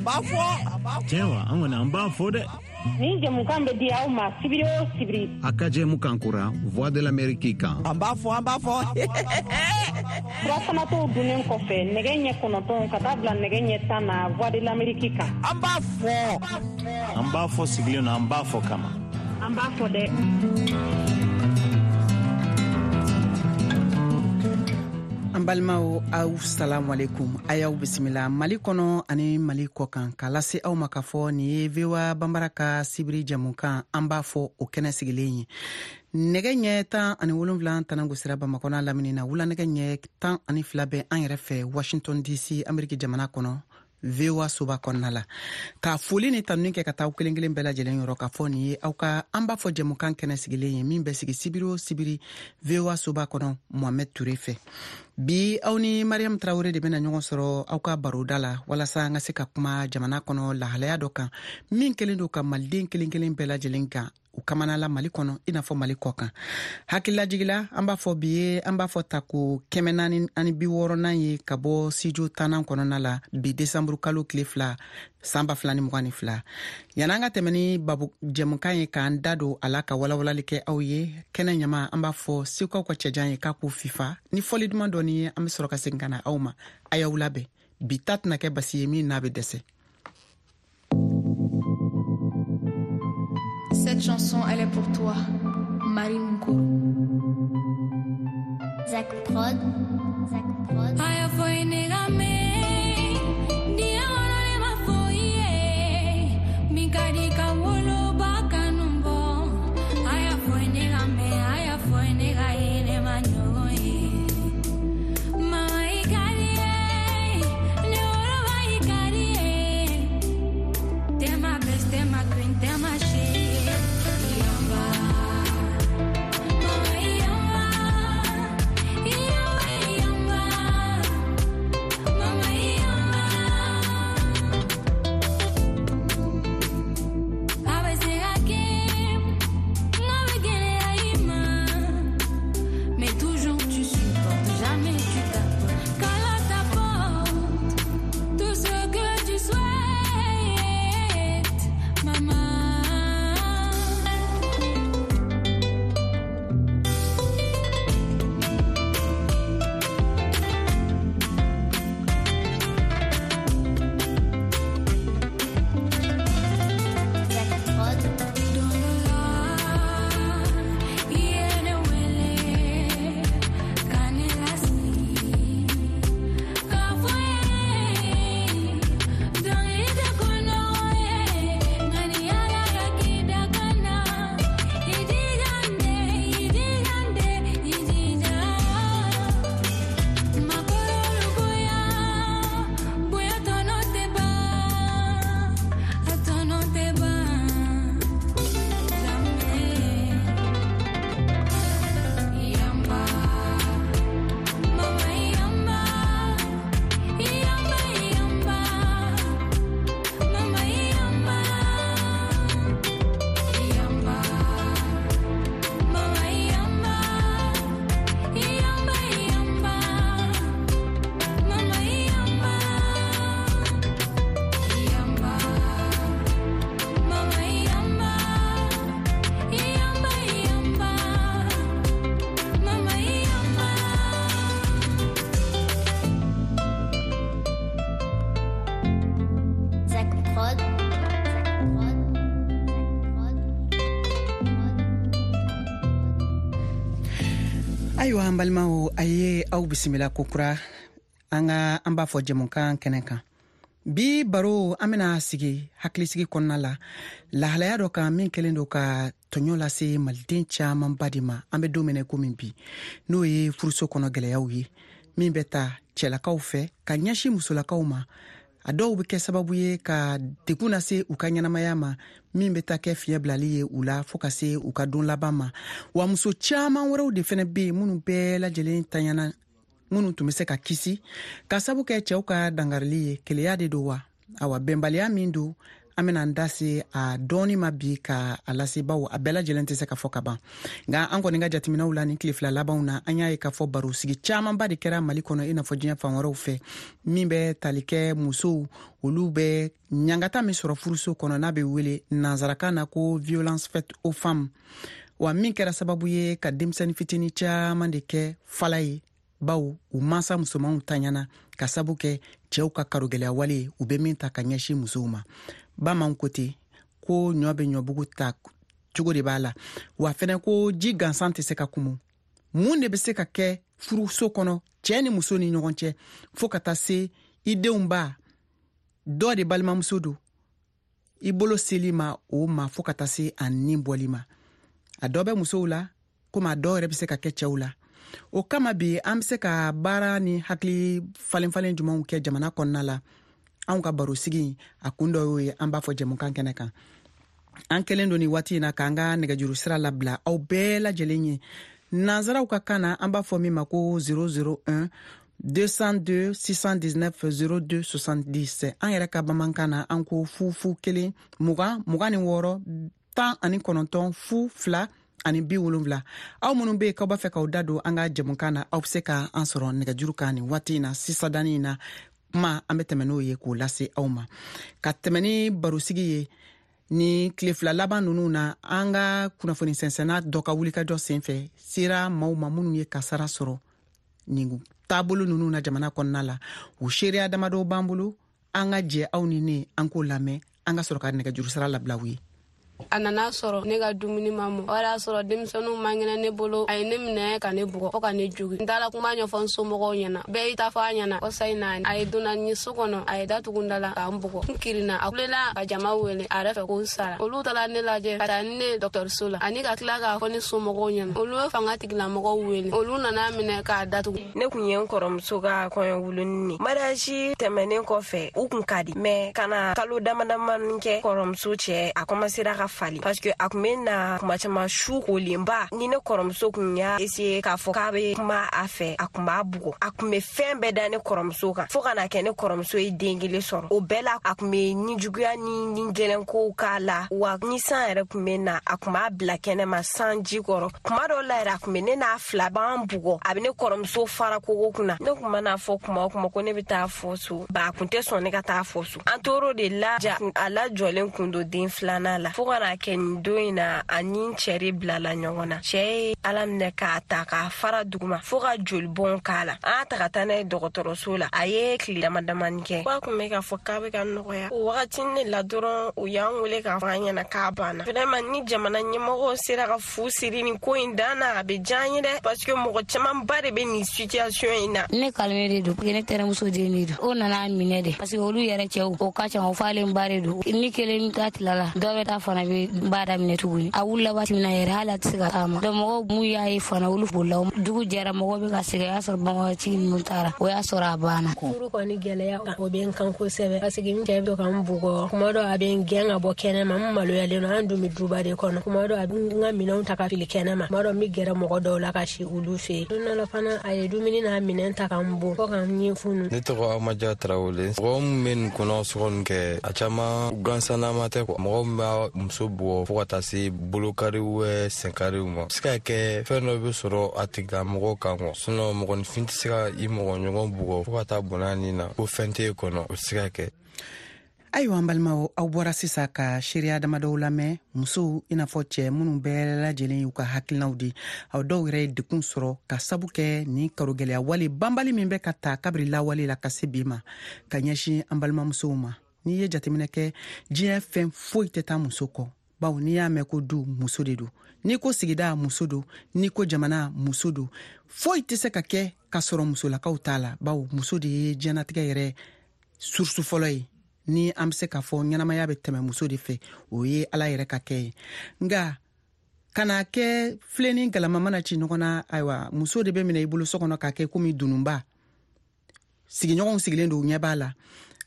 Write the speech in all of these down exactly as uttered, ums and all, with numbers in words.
b'a fɔ. Tiɲɛ wa, an kɔni an b'a fɔ dɛ. Nin jɛmukan bɛ di aw ma sibiri o sibiri. A ka jɛmukan kura Voix de l'Amérique kan. An b'a fɔ, an b'a fɔ. Furafanatɔw dunnen kɔfɛ nɛgɛ ɲɛ kɔnɔntɔn ka taa bila nɛgɛ ɲɛ tan na Voix de l'Amérique kan. An b'a fɔ. An b'a fɔ sigilen na, an b'a fɔ kama. An b'a fɔ dɛ. An balimaw, aw salamu alaikum, a y'aw bisimila Mali kɔnɔ ani Mali kɔ kan, k'a lase aw ma k'a fɔ nin ye V O A Banbara ka sibiri jɛmukan an b'a fɔ o kɛnɛ sigilen ye. Nɛgɛ ɲɛ tan ani wolonwula tana gosira Bamakɔ n'a lamini na, wula nɛgɛ ɲɛ tan ani fila bɛ an yɛrɛ fɛ Washington D C, Ameriki jamana kɔnɔ, V O A soba kɔnɔna la. Ka foli ni tanuni kɛ ka taa aw kelen kelen bɛɛ lajɛlen yɔrɔ k'a fɔ nin ye aw ka an b'a fɔ jɛmukan kɛnɛ sigilen ye min bɛ sigi sibiri o sibiri V O A soba kɔnɔ Mohamed Touré fɛ. Bi aw ni Mariam Traoré de bɛna ɲɔgɔn sɔrɔ aw ka baroda la walasa an ka se ka kuma jamana kɔnɔ lahalaya dɔ kan min kɛlen don ka maliden kelen kelen bɛɛ lajɛlen kan u kamana la Mali kɔnɔ i n'a fɔ Mali kɔ kan. Hakililajigila, an b'a fɔ bi ye an b'a fɔ tako kɛmɛ naani ani bi wɔɔrɔnan ye ka bɔ studio tannan kɔnɔna la bi desanburu kalo tile fila san ba fila ni mugan ni fila. Yan'an ka tɛmɛ ni babu jɛmukan ye k'an da don a la ka walawalali kɛ aw ye, kɛnɛ ɲama an b'a fɔ segukaw ka cɛjan ye k'a k'u fifa ni fɔli duman dɔɔni ye, an bɛ sɔrɔ ka segin ka na aw ma. A y'aw labɛn, bi ta tɛna kɛ basi ye min n'a bɛ dɛsɛ. Cette chanson, elle est pour toi, Marie Moukourou. Zach Prod, Zach Prod. Aya foi negame, dia wala ma foi, mikadi ka wolo bakanumbo. Aya foi negame, aya foi negaye ne manyoye. Mama ikari, ne wolo ba ikari. Tema best, tema queen, tema she. Ayiwa an balimaw, a ye aw bisimila kokura an ka an b'a fɔ jɛmukan kɛnɛ kan. Bi baro an bɛna sigi hakilisigi kɔnɔna la lahalaya dɔ kan min kɛlen don ka tɔɲɔ lase maliden camanba de ma an bɛ don min na komi bi, n'o ye furuso kɔnɔ gɛlɛyaw ye min bɛ ta cɛlakaw fɛ ka ɲɛsin musolakaw ma. A dɔw bɛ kɛ sababu ye ka degun lase u ka ɲɛnamaya ma min bɛ taa kɛ fiɲɛ bilali ye u la fo ka se u ka don laban ma. Wa muso caman wɛrɛw de fɛnɛ bɛ yen minnu bɛɛ lajɛlen tanyana, minnu tun bɛ se ka kisi ka sabu kɛ cɛw ka dangarili ye. Keleya de don wa? Awa bɛnbaliya min don, An bɛna an da se a dɔɔni ma bi ka a lase, bawo a bɛɛ lajɛlen tɛ se ka fɔ ka ban. Nka an kɔni ka jateminɛw la nin tile fila labanw na, an y'a ye k'a fɔ barosigi camanba de kɛra Mali kɔnɔ, i n'a fɔ diɲɛ fan wɛrɛw fɛ, min bɛ tali kɛ musow olu bɛ ɲangata min sɔrɔ furuso kɔnɔ, n'a bɛ wele nansarakan na ko violence faite aux femmes, wa min kɛra sababu ye ka denmisɛnnin fitinin caman de kɛ fala ye, bawo u mansa musomanw taɲana ka sabu kɛ cɛw ka karogɛlɛya wale u bɛ min ta ka ɲɛsin musow ma. Bamananw ko ten ko ɲɔ bɛ ɲɔbugu ta cogo de b'a la, wa fɛnɛ ko ji gansan tɛ se ka kumu. Mun de bɛ se ka kɛ furuso kɔnɔ cɛɛ ni muso ni ɲɔgɔn cɛ, fo ka taa se i denw ba dɔ de balimamuso don, i bolo seli ma o ma, fo ka taa se a nin bɔli ma? A dɔ bɛ musow la komi a dɔw yɛrɛ bɛ se ka kɛ cɛw la. O kama bi an bɛ se ka baara ni hakili falen-falen jumɛnw kɛ jamana kɔnɔna la? Anw ka barosigi a kun dɔ y'o ye, an b'a fɔ jɛmukan kɛnɛ kan. An kɛlen don nin waati in na k'an ka nɛgɛjuru sira labila aw bɛɛ lajɛlen ye. Nanzaraw ka kan na, an b'a fɔ min ma ko zéro zéro un deux cent deux six cent dix-neuf zéro deux soixante-dix. An yɛrɛ ka bamanankan na, an ko fu fu kelen mugan mugan ni wɔɔrɔ tan ani kɔnɔntɔn fu fila ani bi wolonwula. Aw minnu bɛ yen k'aw b'a fɛ k'aw da don an ka jɛmukan na, aw bɛ se ka an sɔrɔ nɛgɛjuru kan nin waati in na. Sisan danni in na, kuma an bɛ tɛmɛ n'o ye k'o lase aw ma, ka tɛmɛ ni barosigi ye. Ni tile fila laban ninnu na, an ka kunnafoni sɛnsɛnna dɔ ka wulikajɔ senfɛ sera maaw ma minnu ye kasara sɔrɔ nin taabolo ninnu na jamana kɔnɔna la. O seereya damadɔw b'an bolo, an ka jɛ aw ni ne an k'o lamɛn, an ka sɔrɔ ka nɛgɛjuru sira labila u ye. A nana sɔrɔ ne ka dumuni ma mɔ, o y'a sɔrɔ denmisɛnninw man kɛnɛ ne bolo. A ye ne minɛ ka ne bugɔ fo ka ne jogi. N taara kuma ɲɛfɔ n somɔgɔw ɲɛna, bɛɛ y'i ta fɔ a ɲɛna. Kɔsa in na, a ye donna ni so kɔnɔ, a ye datugu da la k'an bugɔ. N kirinna, a kulela ka jama wele a yɛrɛ fɛ ko n sara. Olu taara ne lajɛ ka taa ni ne dɔgɔtɔrɔso la, ani ka tila k'a fɔ ne somɔgɔw ɲɛna. Olu ye fanga tigilamɔgɔw wele, olu nana minɛ k'a datugu. Ne kun ye n kɔrɔmuso ka kɔɲɔ wuluni ne. Mariage tɛmɛnen kɔfɛ, u kun ka di, mais ka na kalo dama damani kɛ, kɔrɔmuso cɛ a commencera ka fali, parce que a kun bɛ na kuma caman su kolenba. Ni ne kɔrɔmuso kun y'a essayer k'a fɔ k'a bɛ kuma a fɛ, a kun b'a bugɔ. A kun bɛ fɛn bɛɛ da ne kɔrɔmuso kan, fo ka na kɛ ne kɔrɔmuso ye den kelen sɔrɔ. O bɛɛ la, a kun bɛ nijuguya ni ni gɛlɛnkow k'a la. Wa ni san yɛrɛ kun bɛ na, a kun b'a bila kɛnɛma sanji kɔrɔ. Kuma dɔw la yɛrɛ, a kun bɛ ne n'a fila b'an bugɔ, a bɛ ne kɔrɔmuso fara kogo kunna. Ne kun mana fɔ kuma o kuma ko ne bɛ taa fɔ so ba, a kun tɛ sɔn ne ka taa fɔ so. An tor'o de la, ja a lajɔlen kun don den filanan la, fo ka na kɛ nin don in na, a ni n cɛ de bilala ɲɔgɔn na. Cɛ ye ala minɛ k'a ta k'a fara duguma fo ka jolibɔn k'a la. An y'a ta ka taa n'a ye dɔgɔtɔrɔso la, a ye tile dama damani kɛ, ko a kun bɛ k'a fɔ k'a bɛ ka nɔgɔya. O wagati ne la dɔrɔn, u y'an wele k'a fɔ an ɲɛna k'a banna. Vraiment, ni jamana ɲɛmɔgɔw sera ka fu siri nin ko in dan na, a bɛ diya an ye dɛ, parce que mɔgɔ camanba de bɛ nin situation in na. Ne kalime de don, ne tɛnɛmuso den de don. O nana minɛ de, parce que olu yɛrɛ cɛw o ka ca, o falen ba de don. Ni kelen ta tilala, dɔ bɛ taa fana bɛ ba daminɛ tuguni. A wulila waati min na yɛrɛ, hali a tɛ se ka taama. Donc mɔgɔw mun y'a ye fana, olu bolila. Dugu jɛra, mɔgɔw bɛ ka sɛgɛn, o y'a sɔrɔ banbagatigi ninnu taara, o y'a sɔrɔ a banna. Furu kɔni gɛlɛya, o bɛ n kan kosɛbɛ, parce que n cɛ bɛ ka n bugɔ. Kuma dɔ, a bɛ n gɛn ka bɔ kɛnɛ ma, n maloyalen don. An dun bɛ duba de kɔnɔ. Kuma dɔ, a bɛ n ka minɛnw ta ka fili kɛnɛ ma. Kuma dɔ, n bɛ gɛrɛ mɔgɔ dɔw la ka si olu fɛ yen. Don dɔ la fana, a ye dumuni n'a minɛn ta ka n bon fo ka n ɲɛ funu. Ne tɔgɔ Amaja Tarawele. Mɔgɔ min bɛ nin kɔnɔ sɔgɔni kɛ, a caman gansannama tɛ kuwa. Mɔgɔ min b'a muso bugɔ fo ka taa se bolokariw senkariw ma, se ka kɛ fɛn dɔ bɛ sɔrɔ a tigilamɔgɔ kan kuwa. Sinon mɔgɔninfin tɛ se ka i mɔgɔ ɲɔgɔn bugɔ fo ka taa bɔnna nin na ko fɛn t'e kɔnɔ, o tɛ se ka kɛ. Ayiwa, an balimaw, aw bɔra sisan ka seereya damadɔw lamɛn, musow i n'a fɔ cɛɛ minnu bɛɛ lajɛlen y'u ka hakilinaw di. Aw dɔw yɛrɛ ye dekun sɔrɔ ka sabu kɛ nin karogɛlɛya wale banbali min bɛ ka ta kabiri lawale la ka se bi ma ka ɲɛsin an balimamusow ma. N'i ye jateminɛ kɛ, diɲɛ fɛn foyi tɛ taa muso kɔ, bawo n'i y'a mɛn ko du, muso de don; n'i ko sigida, muso don; n'i ko jamana, muso don. Foyi tɛ se ka kɛ k'a sɔrɔ musolakaw t'a la, bawo muso de ye diɲɛnatigɛ yɛrɛ source fɔlɔ ye. Ni an bɛ se k'a fɔ ɲɛnamaya bɛ tɛmɛ muso de fɛ, o ye Ala yɛrɛ ka kɛ ye. Nka ka na kɛ filen ni galama mana ci ɲɔgɔn na, ayiwa, muso de bɛ minɛ i bolo so kɔnɔ k'a kɛ komi dununba. Sigiɲɔgɔnw sigilen don, u ɲɛ b'a la.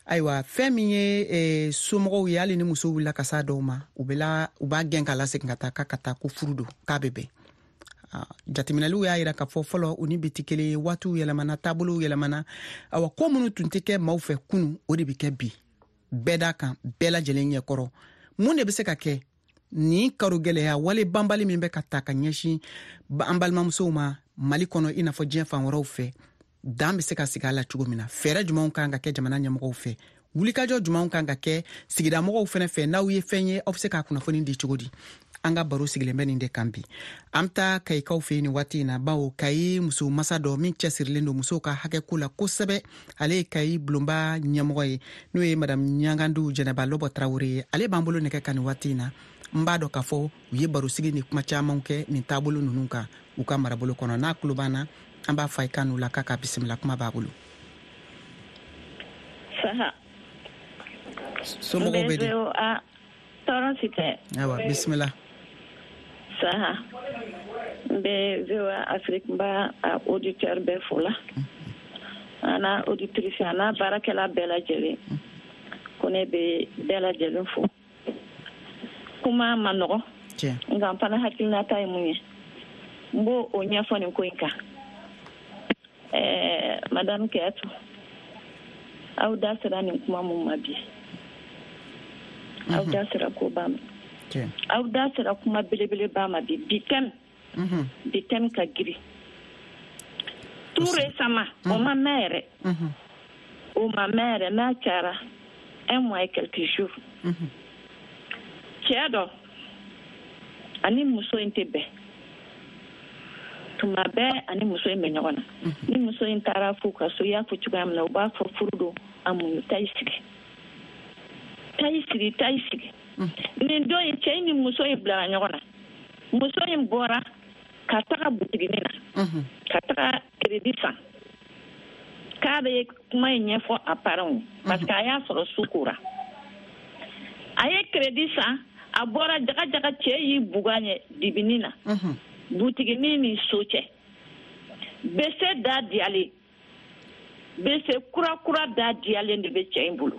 Ayiwa, fɛn min ye eh, somɔgɔw ye, hali ni muso wulila ka s'a dɔw ma, u bɛ la u b'a gɛn k'a lasegin ka taa k'a ka taa, ko furu don, k'a bɛ bɛn. Jateminɛliw y'a yira k'a fɔ fɔlɔ u ni bi tɛ kelen ye. Waatiw yɛlɛmana, taabolow yɛlɛmana. Awa, ko minnu tun tɛ kɛ maaw fɛ kunu, o de bɛ kɛ bi. bɛɛ da kan, bɛɛ lajɛlen ɲɛkɔrɔ. Mun de bɛ se ka kɛ nin karogɛlɛya wale banbali min bɛ ka ta ka ɲɛsin an balimamusow ma Mali kɔnɔ, i n'a fɔ diɲɛ fan wɛrɛw fɛ, dan bɛ se ka sigi a la cogo min na? Fɛɛrɛ jumɛnw kan ka kɛ jamana ɲɛmɔgɔw fɛ? Wulikajɔ jumɛnw kan ka kɛ sigidamɔgɔw fɛnɛ fɛ? N'aw ye fɛn ye, aw bɛ se k'a kunnafoni di cogo di? An ka baro sigilen bɛ nin de kan bi. An bɛ taa Kayikaw fɛ yen nin waati in na, bawo Kayi muso masa dɔ min cɛsirilen don musow ka hakɛko la kosɛbɛ, ale ye Kayi bulonba ɲɛmɔgɔ ye, n'o ye Madame Ɲagandu Jɛnɛba Lɔbɔ Tarawele ye. Ale b'an bolo nɛgɛ kan nin waati in na. N b'a dɔn k'a fɔ u ye barosigi ni kuma caman kɛ nin taabolo ninnu kan u ka marabolo kɔnɔ. N'a tulo b'an na, an b'a fɔ a ye kan n'u la k'a ka bisimila, kuma b'a bolo. Saha. Somɔgɔw bɛ di? Tɔɔrɔ si tɛ. Ayiwa, bisimila. Saha, n bɛ V O A Afrique, n b'a auditeur bɛɛ fo la, a n'a auditrice, a n'a baarakɛla bɛɛ lajɛlen. Ko ne bɛ bɛɛ lajɛlen fo. Kuma ma nɔgɔn, nka n fana hakilinata ye mun ye, n b'o o ɲɛfɔ nin ko in kan. Ɛɛ Madame Kɛtu, aw da sera nin kuma mun ma bi, aw da sera koba ma, aw da sera kuma belebeleba ma bi. Bi thème, bi thème ka girin. Tout récemment, o ma mɛn yɛrɛ, o ma mɛn yɛrɛ, n'a cayara un mois et quelques jours, cɛ dɔ ani muso in tɛ bɛn. Tuma bɛɛ ani muso in bɛ ɲɔgɔn na. Ni muso in taara f'u ka so, i y'a fɔ cogoya min na, u b'a fɔ furu don, a muɲu, taa i sigi, taa i sigi, taa i sigi. Nin don in, cɛ in ni muso in bilara ɲɔgɔn na. Muso in bɔra ka taga butiginin na, ka taga crédit san, k'a bɛ kuma in ɲɛfɔ a parents ye, parce que a y'a sɔrɔ su kora. A ye crédit san, a bɔra jaga jaga, cɛ y'i bugan ɲɛ dibinin na, butiginin ni so cɛ. Bese da diyalen, bese kura kura da diyalen de bɛ cɛ in bolo.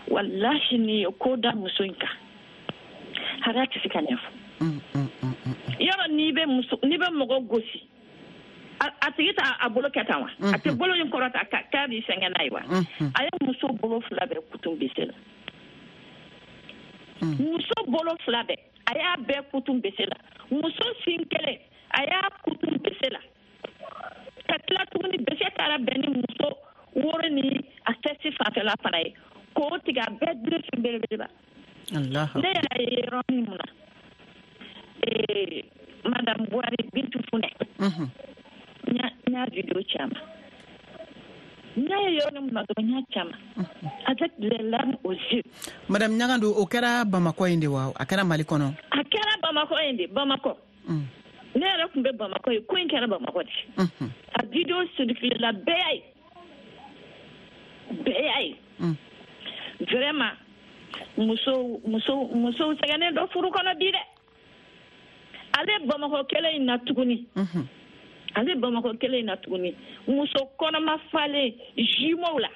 Walahi, ni ye ko da muso in kan, hara tɛ se ka ɲɛfɔ. Yɔrɔ n'i bɛ muso, n'i bɛ mɔgɔ gosi, a tigi t'a a bolo kɛ tan wa? A tɛ bolo in kɔrɔta k'a b'i sɛgɛn n'a ye wa? A ye muso bolo fila bɛɛ kutu bese la. Muso bolo fila bɛɛ, a y'a bɛɛ kutu bese la. Muso sin kelen, a y'a kutu bese la. Ka tila tuguni, bese taara bɛn ni muso woro ni a sɛsi fanfɛla fana ye, k'o tigɛ, a bɛɛ birifin belebeleba. Ne yɛrɛ ye yɔrɔ min na, Madame Buhari Bintu Funɛ, n y'a vidéo caman. N y'a ye yɔrɔ min na dɔrɔn, n y'a caman avec les larmes aux yeux. Madame Ɲagandu, o kɛra Bamakɔ yen de wa? A kɛra Mali kɔnɔ? A kɛra Bamakɔ yen de, Bamakɔ. Ne yɛrɛ tun bɛ Bamakɔ yen, ko in kɛra Bamakɔ de. A vidéo circulé la, bɛɛ y'a ye, bɛɛ y'a ye. Vraiment, musow musow musow sɛgɛnnen dɔ furu kɔnɔ bi dɛ. Ale Bamakɔ kɛlɛ in na tuguni, ale Bamakɔ kɛlɛ in na tuguni, muso kɔnɔma falen jumeau la,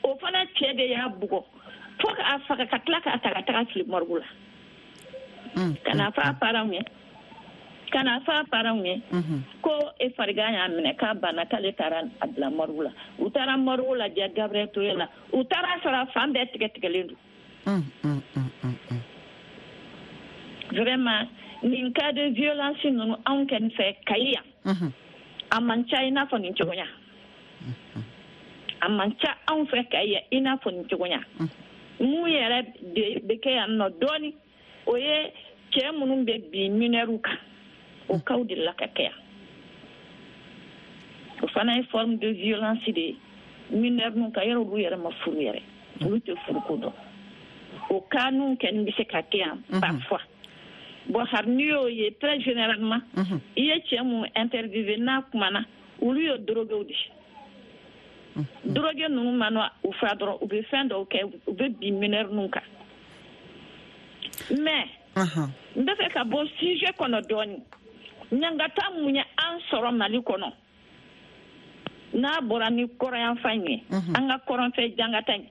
o fana cɛ de y'a bugɔ fo k'a faga, ka tila k'a ta ka taga fili morgue la. Ka n'a fɔ a parents ye, ka n'a fɔ a parents ye ko e farigan y'a minɛ, k'a banna, k'ale taara a bila morgue la. U taara morgue lajɛ Gabriel Touré la, u taara sɔrɔ a fan bɛɛ tigɛ tigɛlen don. Vraiment, nin cas de violence ninnu anw kɛni fɛ Kayi yan, a man ca i n'a fɔ nin cogoya. A man ca anw fɛ Kayi yan i n'a fɔ nin cogoya. Mun yɛrɛ de bɛ kɛ yan nɔ dɔɔni, o ye cɛ minnu bɛ bin mineurw kan, o kaw de la ka kɛ yan. O fana ye forme de violence de ye mineur ninnu kan. Yɔrɔ olu yɛrɛ ma furu yɛrɛ, olu tɛ furuko dɔn. O cas ninnu kɛni bɛ se ka kɛ yan parfois. Bon, hali n'i y'o ye, très généralement, i ye cɛ mun interviewé n'a kumana, olu ye droguéw de ye. Drogué ninnu mana u fa dɔrɔn, u bɛ fɛn dɔw kɛ, u bɛ bin mineur ninnu kan. Mais n bɛ fɛ ka bɔ sujet kɔnɔ dɔɔni. Ɲangata mun ye an sɔrɔ Mali kɔnɔ, n'a bɔra ni kɔrɔyanfan in ye, an ka kɔrɔnfɛ jangata in,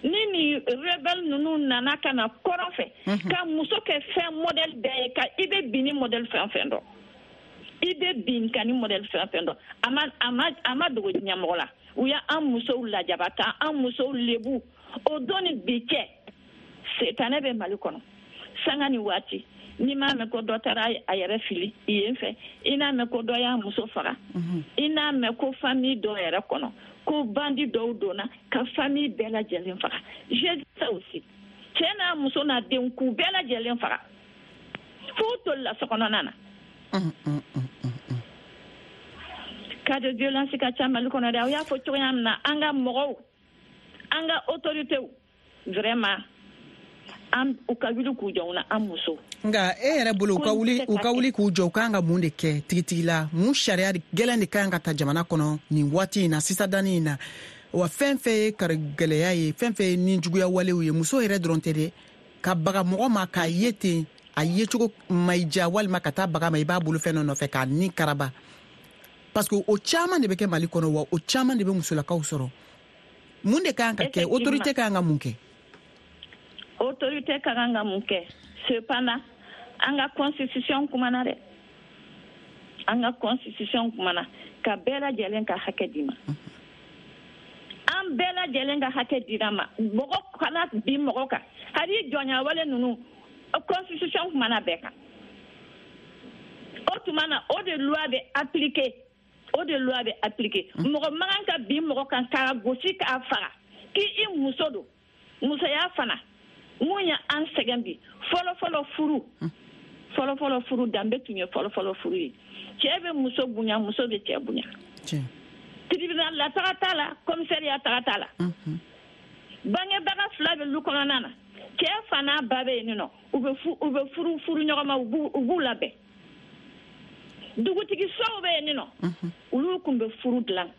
ni ni rebelle ninnu nana ka na kɔrɔn fɛ ka muso kɛ fɛn modèle bɛɛ ye, ka i bɛ bin ni modèle fɛn fɛn dɔn, I bɛ binkanni modèle fɛn fɛn dɔn, a ma a ma a ma dogo ɲɛmɔgɔ la. U y'an musow lajaba k'an musow lebu. O don ni bi cɛ, setanɛ bɛ Mali kɔnɔ sanga ni waati. N'i m'a mɛn ko dɔ taara a yɛrɛ fili yen fɛ, i n'a mɛn ko dɔ y'a muso faga, i n'a mɛn ko famille dɔ yɛrɛ kɔnɔ ko bandi dɔw donna ka famille bɛɛ lajɛlen faga. J'ai dit ça aussi. Cɛ n'a muso n'a denw k'u bɛɛ lajɛlen faga f'u tolila sokɔnɔna na. Cas de violence ka ca Mali kɔnɔ dɛ. Aw y'a fɔ cogoya min na, an ka mɔgɔw, an ka autorités, vraiment an u ka wuli k'u jɔ na an musow. Nka e yɛrɛ bolo, u ka wuli u ka wuli k'u jɔ, u kan ka mun de kɛ tigitigi la? Mun sariya gɛlɛn de kan ka ta jamana kɔnɔ nin waati in na, sisan danni in na? Wa fɛn fɛn ye karigɛlɛya ye, fɛn fɛn ye nijuguya walew ye, muso yɛrɛ dɔrɔn tɛ dɛ, ka baga mɔgɔ ma k'a ye ten, a yecogo ma i diya, walima ka taa baga ma i b'a bolo fɛn dɔ nɔfɛ k'a ni karaba, parce que o caman de bɛ kɛ Mali kɔnɔ, wa o caman de bɛ musolakaw sɔrɔ. Mun de kan ka kɛ? Autorité kan ka mun kɛ? Autorité ka kan ka mun kɛ? Cependant, an ka constitution kumana dɛ, an ka constitution kumana ka bɛɛ lajɛlen ka hakɛ d'i ma. An bɛɛ lajɛlen ka hakɛ dira ma. Mɔgɔ kana bin mɔgɔ kan, hali jɔnya wale ninnu, constitution kumana bɛɛ kan. O tuma na, o de loi bɛ appliquer, o de loi bɛ appliquer. Mɔgɔ man kan ka bin mɔgɔ kan k'a gosi k'a faga k'i muso don. Musoya fana mun ye an sɛgɛn bi? Fɔlɔfɔlɔ furu, fɔlɔfɔlɔ furu danbe tun ye fɔlɔfɔlɔ furu ye. Cɛ bɛ muso bonya, muso bɛ cɛ bonya. Tribunal la taga t'a la, commissariat taga t'a la. Bangebaga fila bɛ lu kɔnɔna na, cɛ fa n'a ba bɛ yen nɔ, u bɛ u bɛ furu furu ɲɔgɔn ma, u b'u u b'u labɛn. Dugutigi sow bɛ yen nɔ, olu tun bɛ furu dilan.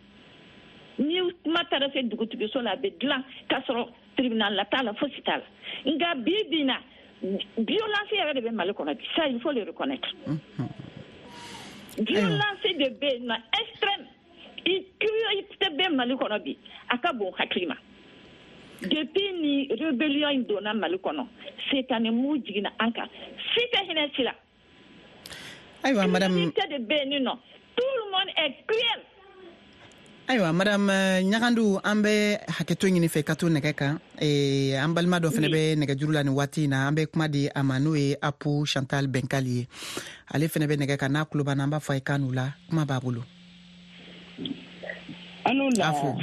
Ni kuma taara se dugutigi so la, a bɛ dilan k'a sɔrɔ tribunal la t'a la, fosi t'a la. Nka bi bi na, violence yɛrɛ de bɛ Mali kɔnɔ bi, ça il faut le reconnaître. Violence de bɛ yen nɔ extrême, i cruauté bɛ Mali kɔnɔ bi, a ka bon hakili ma. Depuis ni rébellion in donna Mali kɔnɔ, setanɛ mu jiginna an kan, si tɛ hinɛ si la. Ayiwa madame, cruauté de bɛ yen nɔ, tout le monde est cruel. Ayiwa madame Ɲagandu, an bɛ hakɛto ɲini fɛ ka to nɛgɛ kan. E, an balima dɔ fana bɛ nɛgɛjuru la nin waati in na, an bɛ kuma di a ma, n'o ye Apu Chantal Bɛnkali ye. Ale fana bɛ nɛgɛ kan, n'a tulo b'an na, an b'a fɔ a ye k'a n'u la, kuma b'a bolo. An n'u la. A fo.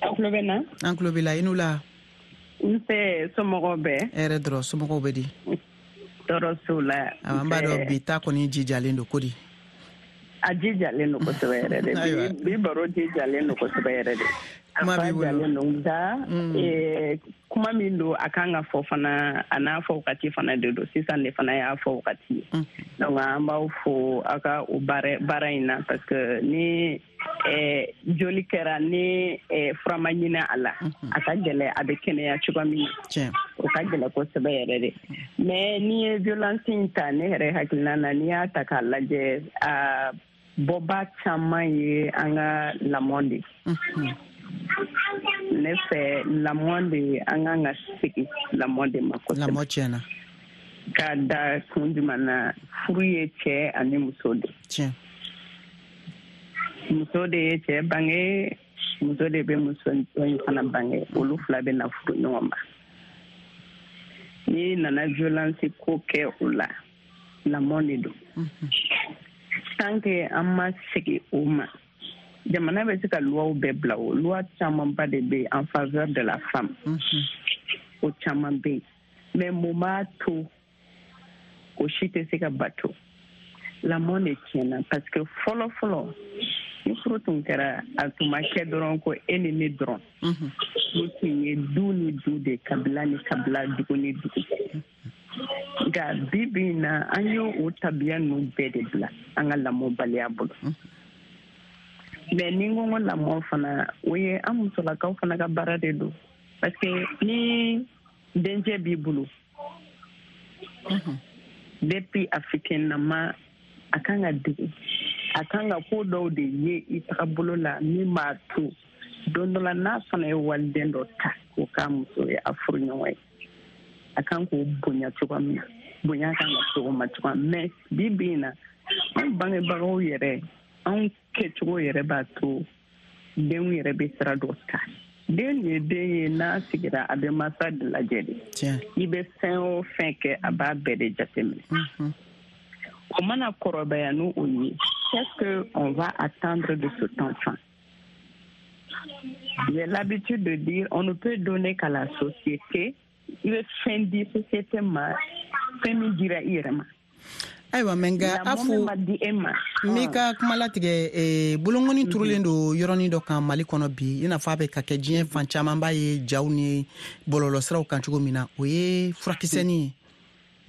Aw tulo bɛ na? An tulo b'i la, i n'u la. Nse, somɔgɔw bɛɛ? Hɛrɛ dɔrɔn, somɔgɔw bɛ di? Tɔɔrɔ t'u la. An b'a dɔn bi ta kɔni jijalen don ko di? A jijalen don kosɛbɛ yɛrɛ de. Bi baro jijalen don kosɛbɛ yɛrɛ de. Kuma b'i bolo. Jalen don nka kuma min don, a kan ka fɔ fana, a n'a fɔ wagati fana de don. Sisan de fana y'a fɔ wagati ye. Donc an b'aw fo aw ka o baara baara in na, parce que ni joli kɛra, ni fura ma ɲini a la, a ka gɛlɛ a bɛ kɛnɛya cogoya min na. O ka gɛlɛ kosɛbɛ yɛrɛ de. Mais n'i ye violence in ta, ne yɛrɛ hakilina na, n'i y'a ta k'a lajɛ, a bɔba caman ye an ka lamɔ de. Ne fɛ lamɔ de, an kan ka segin lamɔ de ma kosɛbɛ. Lamɔ tiɲɛna. Ka da kun jumɛn na? Furu ye cɛ ani muso de. Tiɲɛ. Muso de ye cɛ bange, muso de bɛ muso in fana bange, olu fila bɛ na furu ɲɔgɔn ma. N'i nana violence ko kɛ o la, lamɔ de don. Tant que an ma segin o ma, jamana bɛ se ka loi bɛɛ bila, o loi camanba de bɛ en faveur de la femme. O caman bɛ yen, mais mun b'a to o si tɛ se ka bato? Lamɔ de tiɲɛna, parce que fɔlɔ fɔlɔ ni furu tun kɛra, a tun ma kɛ dɔrɔn ko e ni ne dɔrɔn. Furu tun ye du ni du de, kabila ni kabila, dugu ni dugu. Nka bi bi in na, an y'o o tabiya ninnu bɛɛ de bila an ka lamɔbaliya bolo. Mais ni n ko n ko lamɔ fana, o ye an musolakaw fana ka baara de don, parce que ni dencɛ b'i bolo, depuis a fitininama, a kan ka dege, a kan ka ko dɔw de ye i tagabolo la min b'a to don dɔ la n'a fana ye waliden dɔ ta k'o k'a muso ye, a furu ɲɔgɔn ye, a kan k'o bonya cogoya min na, bonya kan ka se o ma cogoya min. Mais bi bi in na, Anw bangebagaw yɛrɛ, anw kɛcogo yɛrɛ b'a to denw yɛrɛ bɛ sira dɔ ta. Den ye den ye, n'a sigira a bɛ masa de lajɛ de. I bɛ fɛn o fɛn kɛ, a b'a bɛɛ de jateminɛ. O mana kɔrɔbaya n'o o ye, qu'est-ce que on va attendre de cet enfant? J'ai l'habitude de dire, on ne peut donner qu'à la société. I bɛ fɛn di société ma, fɛn min dira i yɛrɛ ma. Ayiwa, mɛ nka a fo n b'i ka kuma latigɛ. Bolongɔni turulen don yɔrɔnin dɔ kan Mali kɔnɔ bi, i n'a fɔ a bɛ ka kɛ diɲɛ fan caman b'a ye jaw ni bɔlɔlɔsiraw kan cogo min na, o ye furakisɛnin ye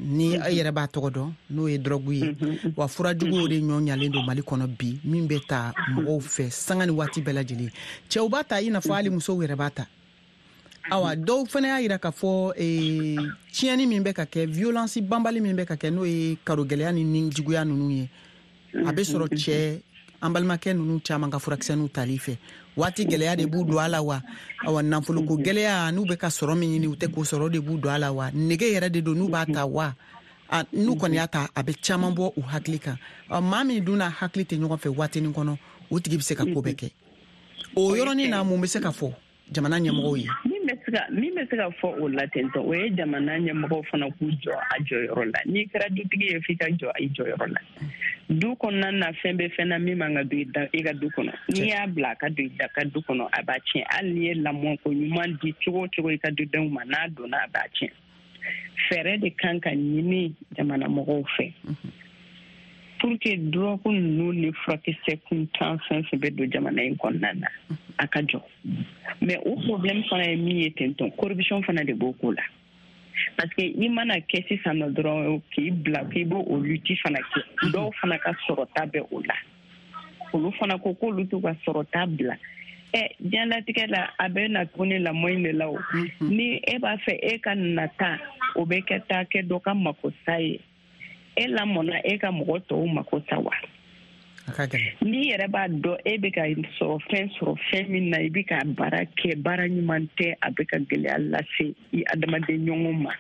ni e yɛrɛ b'a tɔgɔ dɔn, n'o ye dɔrɔgu ye. Wa furajuguw de ɲɔ ɲalen don Mali kɔnɔ bi, min bɛ ta mɔgɔw fɛ sanga ni waati bɛɛ lajɛlen. Cɛw b'a ta i n'a fɔ hali musow yɛrɛ b'a ta. Awa, dɔw fana y'a yira k'a fɔ tiɲɛni min bɛ ka kɛ, violence banbali min bɛ ka kɛ, n'o ye karogɛlɛya ni nijuguya ninnu ye, a bɛ sɔrɔ cɛ an balimakɛ ninnu caman ka furakisɛninw tali fɛ. Waati gɛlɛya de b'u don a la wa? Awa, nafoloko gɛlɛya, n'u bɛ ka sɔrɔ min ɲini u tɛ k'o sɔrɔ, de b'u don a la wa? Nege yɛrɛ de don n'u b'a ta wa? N'u kɔni y'a ta, a bɛ caman bɔ u hakili kan. Maa min dun n'a hakili tɛ ɲɔgɔn fɛ waatinin kɔnɔ, o tigi bɛ se ka ko bɛɛ kɛ. O yɔrɔnin na, mun bɛ se ka fɔ jamana ɲɛmɔgɔw ye? Min bɛ se ka fɔ o la ten tɔ, o ye jamana ɲɛmɔgɔw fana k'u jɔ a jɔyɔrɔ la. N'i kɛra dutigi ye, f'i ka jɔ i jɔyɔrɔ la. Du kɔnɔna na, fɛn bɛ fɛn na min man ka don i ka du kɔnɔ. N'i y'a bila a ka don i ka du kɔnɔ, a b'a tiɲɛ. Hali n'i ye lamɔ ko ɲuman di cogo o cogo i ka dudenw ma, n'a donna a b'a tiɲɛ. Fɛɛrɛ de kan ka ɲini jamana mɔgɔw fɛ pour que drogue ninnu ni furakisɛ kuntan fɛn fɛn bɛ don jamana in kɔnɔna na, a ka jɔ. Mais o problème fana ye min ye ten tɔ, corruption fana de b'o ko la. Parce que i mana kɛ sisan nɔ dɔrɔn k'i bila k'i b'o o lutte fana kɛ, dɔw fana ka sɔrɔta bɛ o la. Olu fana ko k'olu t'u ka sɔrɔta bila. Ɛ, diɲɛlatigɛ la, a bɛ na tuguni lamɔ in de la o. Ni e b'a fɛ e ka nata, o bɛ kɛ taa kɛ dɔ ka makosa ye. E lamɔna e ka mɔgɔ tɔw mako sa wa? N'i yɛrɛ b'a dɔn e bɛ ka sɔrɔ fɛn sɔrɔ fɛn min na, i bɛ ka baara kɛ, baara ɲuman tɛ, a bɛ ka gɛlɛya lase i adamaden ɲɔgɔn ma,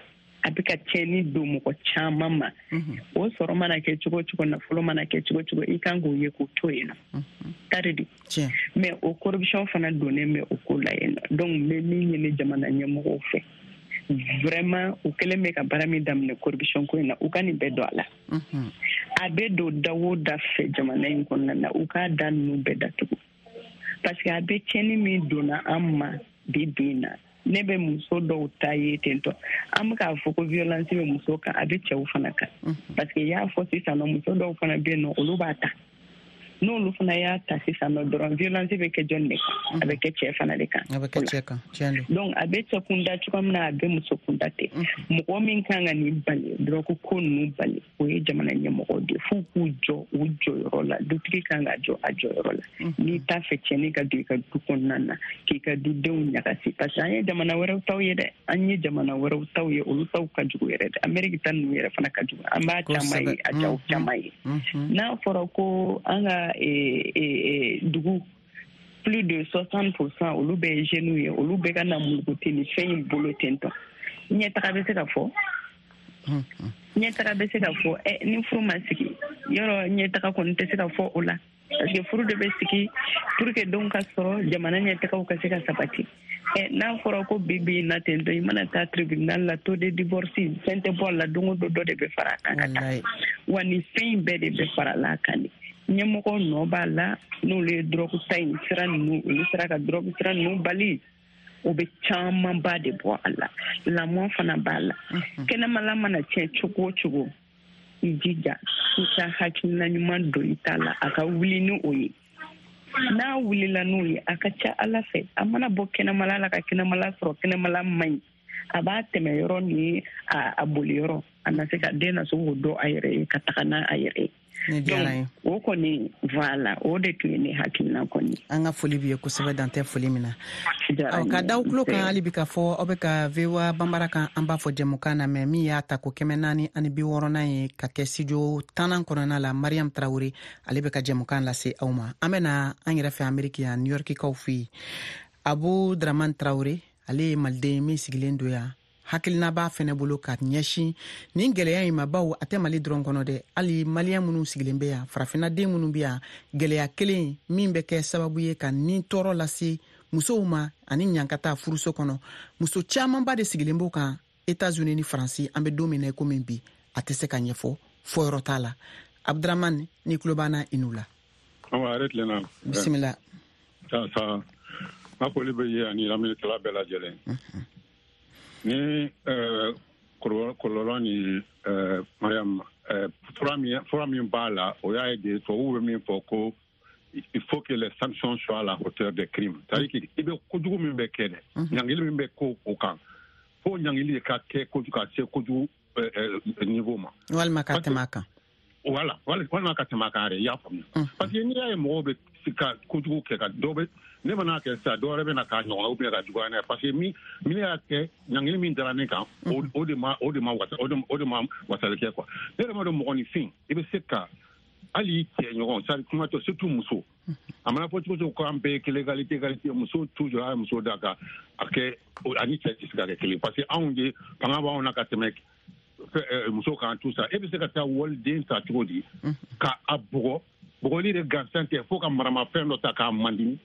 a bɛ ka tiɲɛni don mɔgɔ caman ma. O sɔrɔ mana kɛ cogo o cogo, nafolo mana kɛ cogo o cogo, i kan k'o ye k'o to yen nɔ. Tari de. Mais o corruption fana donnen bɛ o ko la yen nɔ. Donc n bɛ min ɲini jamana ɲɛmɔgɔw fɛ, vraiment u kɛlen bɛ ka baara min daminɛ corruption ko in na, u ka nin bɛɛ don a la. A bɛ don da o da fɛ jamana in kɔnɔna na, u k'a da ninnu bɛɛ datugu. Parce que a bɛ tiɲɛni min donna an ma bi bi in na, ne bɛ muso dɔw ta ye ten tɔ. An bɛ k'a fɔ ko violence bɛ muso kan, a bɛ cɛw fana kan. Parce que i y'a fɔ sisan nɔ, muso dɔw fana bɛ yen nɔ, olu b'a ta. N'olu fana y'a ta sisan nɔ dɔrɔn, violence bɛ kɛ jɔn de kan? A bɛ kɛ cɛ fana de kan. A bɛ kɛ cɛ kan, tiɲɛ don. Donc a bɛ cɛ kunda cogoya min na, a bɛ muso kunda ten. Mɔgɔ min kan ka nin bali, dɔrɔgu ko ninnu bali, o ye jamana ɲɛmɔgɔw de ye. F'u k'u jɔ u jɔyɔrɔ la. Dutigi kan ka jɔ a jɔyɔrɔ la. N'i t'a fɛ tiɲɛni ka don i ka du kɔnɔna na, k'i ka dudenw ɲagasi. Parce que an ye jamana wɛrɛw taw ye dɛ, an ye jamana wɛrɛw taw ye, olu taw ka jugu yɛrɛ dɛ. Amérique ta ninnu yɛrɛ fana ka jugu. An b'a caman ye, a jaw caman ye. N'a fɔra ko an ka E, e, e, dugu plus de soixante pour cent olu bɛɛ ye jeunes ye, olu bɛɛ ka na mulukuti ni fɛn in bolo ten tɔ. Ɲɛtaga bɛ se ka fɔ, ɲɛtaga bɛ se ka fɔ. Ɛ, ni furu ma sigi yɔrɔ, ɲɛtaga kɔni tɛ se ka fɔ o la. Parce que furu de bɛ sigi pour que denw ka sɔrɔ, jamana ɲɛtagaw ka se ka sabati. Ɛ, n'a fɔra ko bi bi in na ten tɔ, i mana taa tribunal la, taux de divorce fɛn tɛ bɔ a la, don o don dɔ de bɛ fara a kan ka taa. Wa nin fɛn in bɛɛ de bɛ fara la a kan de. Ɲɛmɔgɔw nɔ b'a la, n'olu ye dɔrɔgu ta in sira ninnu, olu sera ka dɔrɔgu sira ninnu bali, o bɛ camanba de bɔ a la. Lamɔ fana b'a la. Kɛnɛmala mana tiɲɛ cogo o cogo, i jija i ka hakilina ɲuman don i ta la, a ka wuli ni o ye. N'a wulila n'o ye, a ka ca Ala fɛ, a mana bɔ kɛnɛmala la ka kɛnɛmala sɔrɔ, kɛnɛmala man ɲi, a b'a tɛmɛ yɔrɔ ni a boli yɔrɔ, a na se ka den na se k'o dɔn a yɛrɛ ye ka taga n'a a yɛrɛ ye. Donc o kɔni, voilà, o de tun ye ne hakilina kɔni. An ka foli b'i ye kosɛbɛ, dan tɛ foli min na. Ka da tulo kan hali bi k'a fɔ aw bɛ ka V O A Banbara kan, an b'a fɔ jɛmukan na mɛ min y'a ta ko kɛmɛ naani ani bi wɔɔrɔnan ye ka kɛ studio tannan kɔnɔna la. Mariam Traoré ale bɛ ka jɛmukan lase aw ma. An bɛ na an yɛrɛ fɛ Ameriki yan, New York kaw fɛ yen. Abu Draman Traoré, ale ye maliden min sigilen don yan. Hakilina b'a fɛnɛ bolo ka ɲɛsin nin gɛlɛya in ma, bawo a tɛ Mali dɔrɔn kɔnɔ dɛ, hali maliyɛn minnu sigilen bɛ yan, farafinna den minnu bɛ yan, gɛlɛya kelen min bɛ kɛ sababu ye ka nin tɔɔrɔ lase musow ma ani ɲankata furuso kɔnɔ. Muso camanba de sigilen b'o kan Etats-Unis ni Faransi. An bɛ don min na i komi bi, a tɛ se ka ɲɛfɔ, fɔyɔrɔ t'a la. Abdramane, ni tulo b'an na, i n'u la. Awa, hɛrɛ tilenna. Bisimila. Sa sa, n ka foli bɛ ye ani lamɛnnikɛla bɛɛ lajɛlen. Ni kɔlɔlɔ ni Mariam, fura min fura min b'a la, o y'a ye de, tubabuw bɛ min fɔ ko il faut que les sanctions soient à la hauteur des crimes, c'est-à-dire que i bɛ kojugu min bɛ kɛ dɛ, ɲangili min bɛ ko o kan, fo ɲangili de ka kɛ kojugu ka se kojugu niveau ma. Walima ka tɛmɛ a kan. Voilà, walima ka tɛmɛ a kan yɛrɛ, i y'a faamuya. Parce que n'i y'a ye mɔgɔw bɛ ka kojugu kɛ, ka dɔ bɛ ne mana kɛ sisan, dɔ wɛrɛ bɛ na k'a ɲɔgɔn ou bien ka juguya n'a ye, parce que min min y'a kɛ, ɲangili min dara ne kan, o de ma o de ma wasa o de o de ma wasali kɛ quoi. Ne yɛrɛ ma dɔn, mɔgɔninfin, i bɛ se ka hali i cɛ ɲɔgɔn, c'est à dire kuma tɛ, surtout muso. A mana fɔ cogo cogo ko an bɛɛ ye kelen, égalité, égalité, muso toujours a ye muso da ka a kɛ ani cɛ tɛ se ka kɛ kelen, parce que anw de fanga b'anw na ka tɛmɛ muso kan, tout ça. E bɛ se ka taa waliden ta cogo di ka a bugɔ? Bugɔli de gansan tɛ, fo ka maramafɛn dɔ ta k'a mandimi.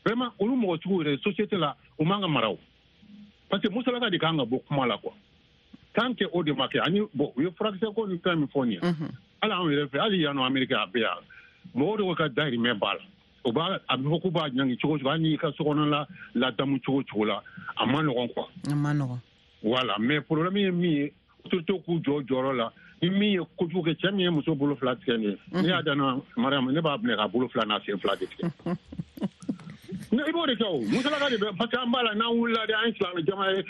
Vraiment, olu mɔgɔ sugu yɛrɛ, société la, u man ka mara o, parce que musolaka de kan ka bɔ kuma la quoi. Tant que o de ma kɛ, ani bon, u ye furakisɛ ko ni fɛn min fɔ nin ye, hali anw yɛrɛ fɛ, hali yan nɔ Amérique, a bɛ yan, mɔgɔw de ka dahirimɛ b'a la. O b'a a bɛ fɔ k'u b'a ɲangi cogo cogo, hali n'i ka sokɔnɔ la ladamu cogo cogo la, a ma nɔgɔn quoi. A ma nɔgɔn. Voilà, mais problème ye min ye, autorité k'u jɔ jɔyɔrɔ la. Ni min ye kojugu kɛ, cɛ min ye muso bolo fila tigɛ nin ye, ne y'a danna Mariam, ne b'a minɛ ka bolo fila n'a sen fila de tigɛ. I b'o de kɛ o musolaka de bɛ, parce que an b'a la, n'an wulila de, an ye silamɛ jama ye,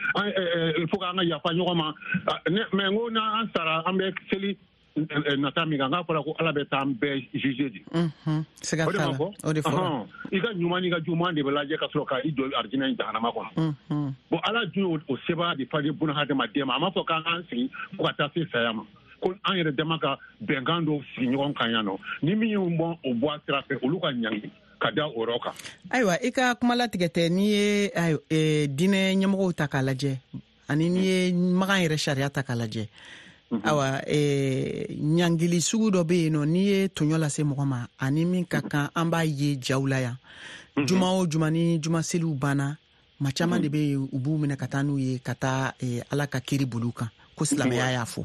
il faut k'an ka yafa ɲɔgɔn ma. Mais n ko n'an sara, an bɛ seli nata min kan, k'a fɔra ko Ala bɛ taa an bɛɛ juger de. Siga t'a la, o de fɔra. I ka ɲuman n'i ka juguman de bɛ lajɛ ka sɔrɔ ka i jɔ arijinɛ in jahanama kɔnɔ. Bon, Ala dun y'o sebaya de fa di buna hadamaden ma. A m'a fɔ k'an k'an sigi fo ka taa se saya ma, ko an yɛrɛ dama ka bɛnkan dɔw sigi ɲɔgɔn kan yan nɔ, ni min y'u bɔ o bɔ a sira fɛ, olu ka ɲangi ka da o yɔrɔ kan. Ayiwa, i ka kuma latigɛ tɛ. N'i ye diinɛ ɲɛmɔgɔw ta k'a lajɛ, ani n'i ye Makan yɛrɛ sariya ta k'a lajɛ, awa, ɲangili sugu dɔ bɛ yen nɔ, n'i ye tɔɲɔ lase mɔgɔ ma, ani min ka kan, an b'a ye jaw la yan, juma o juma ni juma seliw banna, maa caman de bɛ yen, u b'u minɛ ka taa n'u ye ka taa Ala ka kiri boli kan, ko silamɛya y'a fɔ.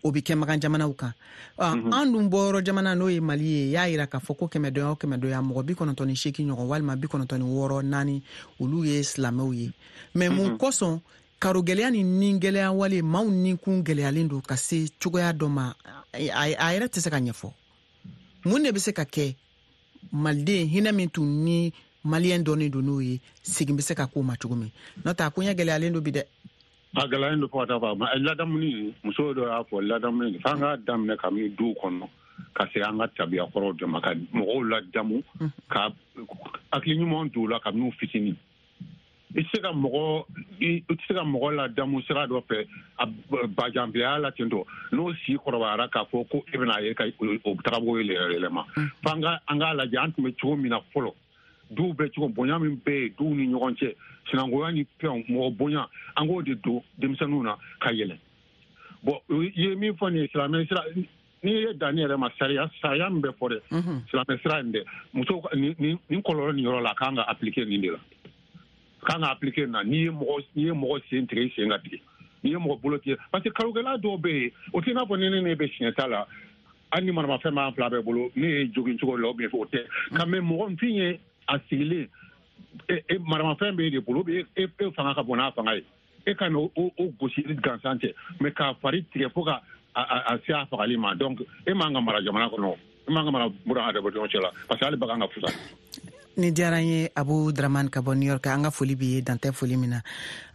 O bɛ kɛ Makan jamanaw kan. An dun bɔyɔrɔ jamana, n'o ye Mali ye, y'a yira k'a fɔ ko kɛmɛ dɔnya o kɛmɛ dɔnya, mɔgɔ bi kɔnɔntɔn ni seegin ɲɔgɔn walima bi kɔnɔntɔn ni wɔɔrɔ naani, olu ye silamɛw ye. Mais mun kosɔn karo gɛlɛya ni nin gɛlɛya wale maaw ninkun gɛlɛyalen don ka se cogoya dɔ ma, a yɛrɛ tɛ se ka ɲɛfɔ? Mun de bɛ se ka kɛ maliden hinɛ min tun ni maliyɛn dɔnnen don n'o ye, segin bɛ se ka k'o ma cogo min? N'o tɛ, a koɲɛ gɛlɛyalen don bi dɛ. A gɛlɛyalen don fo ka taa fɔ a ladamuni, muso dɔ y'a fɔ ladamuni, f'an k'a daminɛ kabini duw kɔnɔ ka se an ka tabiya kɔrɔw de ma, ka mɔgɔw ladamu, ka hakili ɲuman don u la kabini u fitinin. I tɛ se ka mɔgɔ i tɛ se ka mɔgɔ ladamu sira dɔ fɛ a bajanbilaya la ten tɔ, n'o si kɔrɔbayara, k'a fɔ ko e bɛna ye ka o tagabolo yɛlɛma. F'an ka an k'a lajɛ an tun bɛ cogo min na fɔlɔ, duw bɛ cogo, bonya min bɛ yen duw ni ɲɔgɔn cɛ, sinankunya ni fɛnw, mɔgɔ bonya, an k'o de don denmisɛnninw na ka yɛlɛ. Bon, i ye min fɔ nin ye, silamɛ sira, n'i ye danni yɛrɛ ma, sariya sariya min bɛ fɔ dɛ, silamɛ sira in dɛ, muso nin nin kɔlɔlɔ nin yɔrɔ la, a kan ka appliquer nin de la, a kan ka appliquer nin na. N'i ye mɔgɔ n'i ye mɔgɔ sen tigɛ, i sen ka tigɛ. N'i ye mɔgɔ bolo tigɛ, parce que karogɛlɛya dɔw bɛ yen, o tɛ i n'a fɔ ni ne ne bɛ siɲɛ ta la, hali ni maramafɛn b'an fila bɛɛ bolo, ne ye jogin cogo la, ou bien o tɛ. Nka mais mɔgɔninfin ye a sigilen, e maramafɛn b'e de bolo, e e fanga ka bon n'a fanga ye, e ka n'o o gosi gansan tɛ, mais k'a fari tigɛ fo ka a se a fagali ma. Donc e man ka mara jamana kɔnɔ, e man ka mara buna hadamadenw cɛ la, parce que hali bagan ka fusa. Ni diyara n ye, Abu Dramane ka bɔ New York, an ka foli b'i ye, dantɛ foli min na.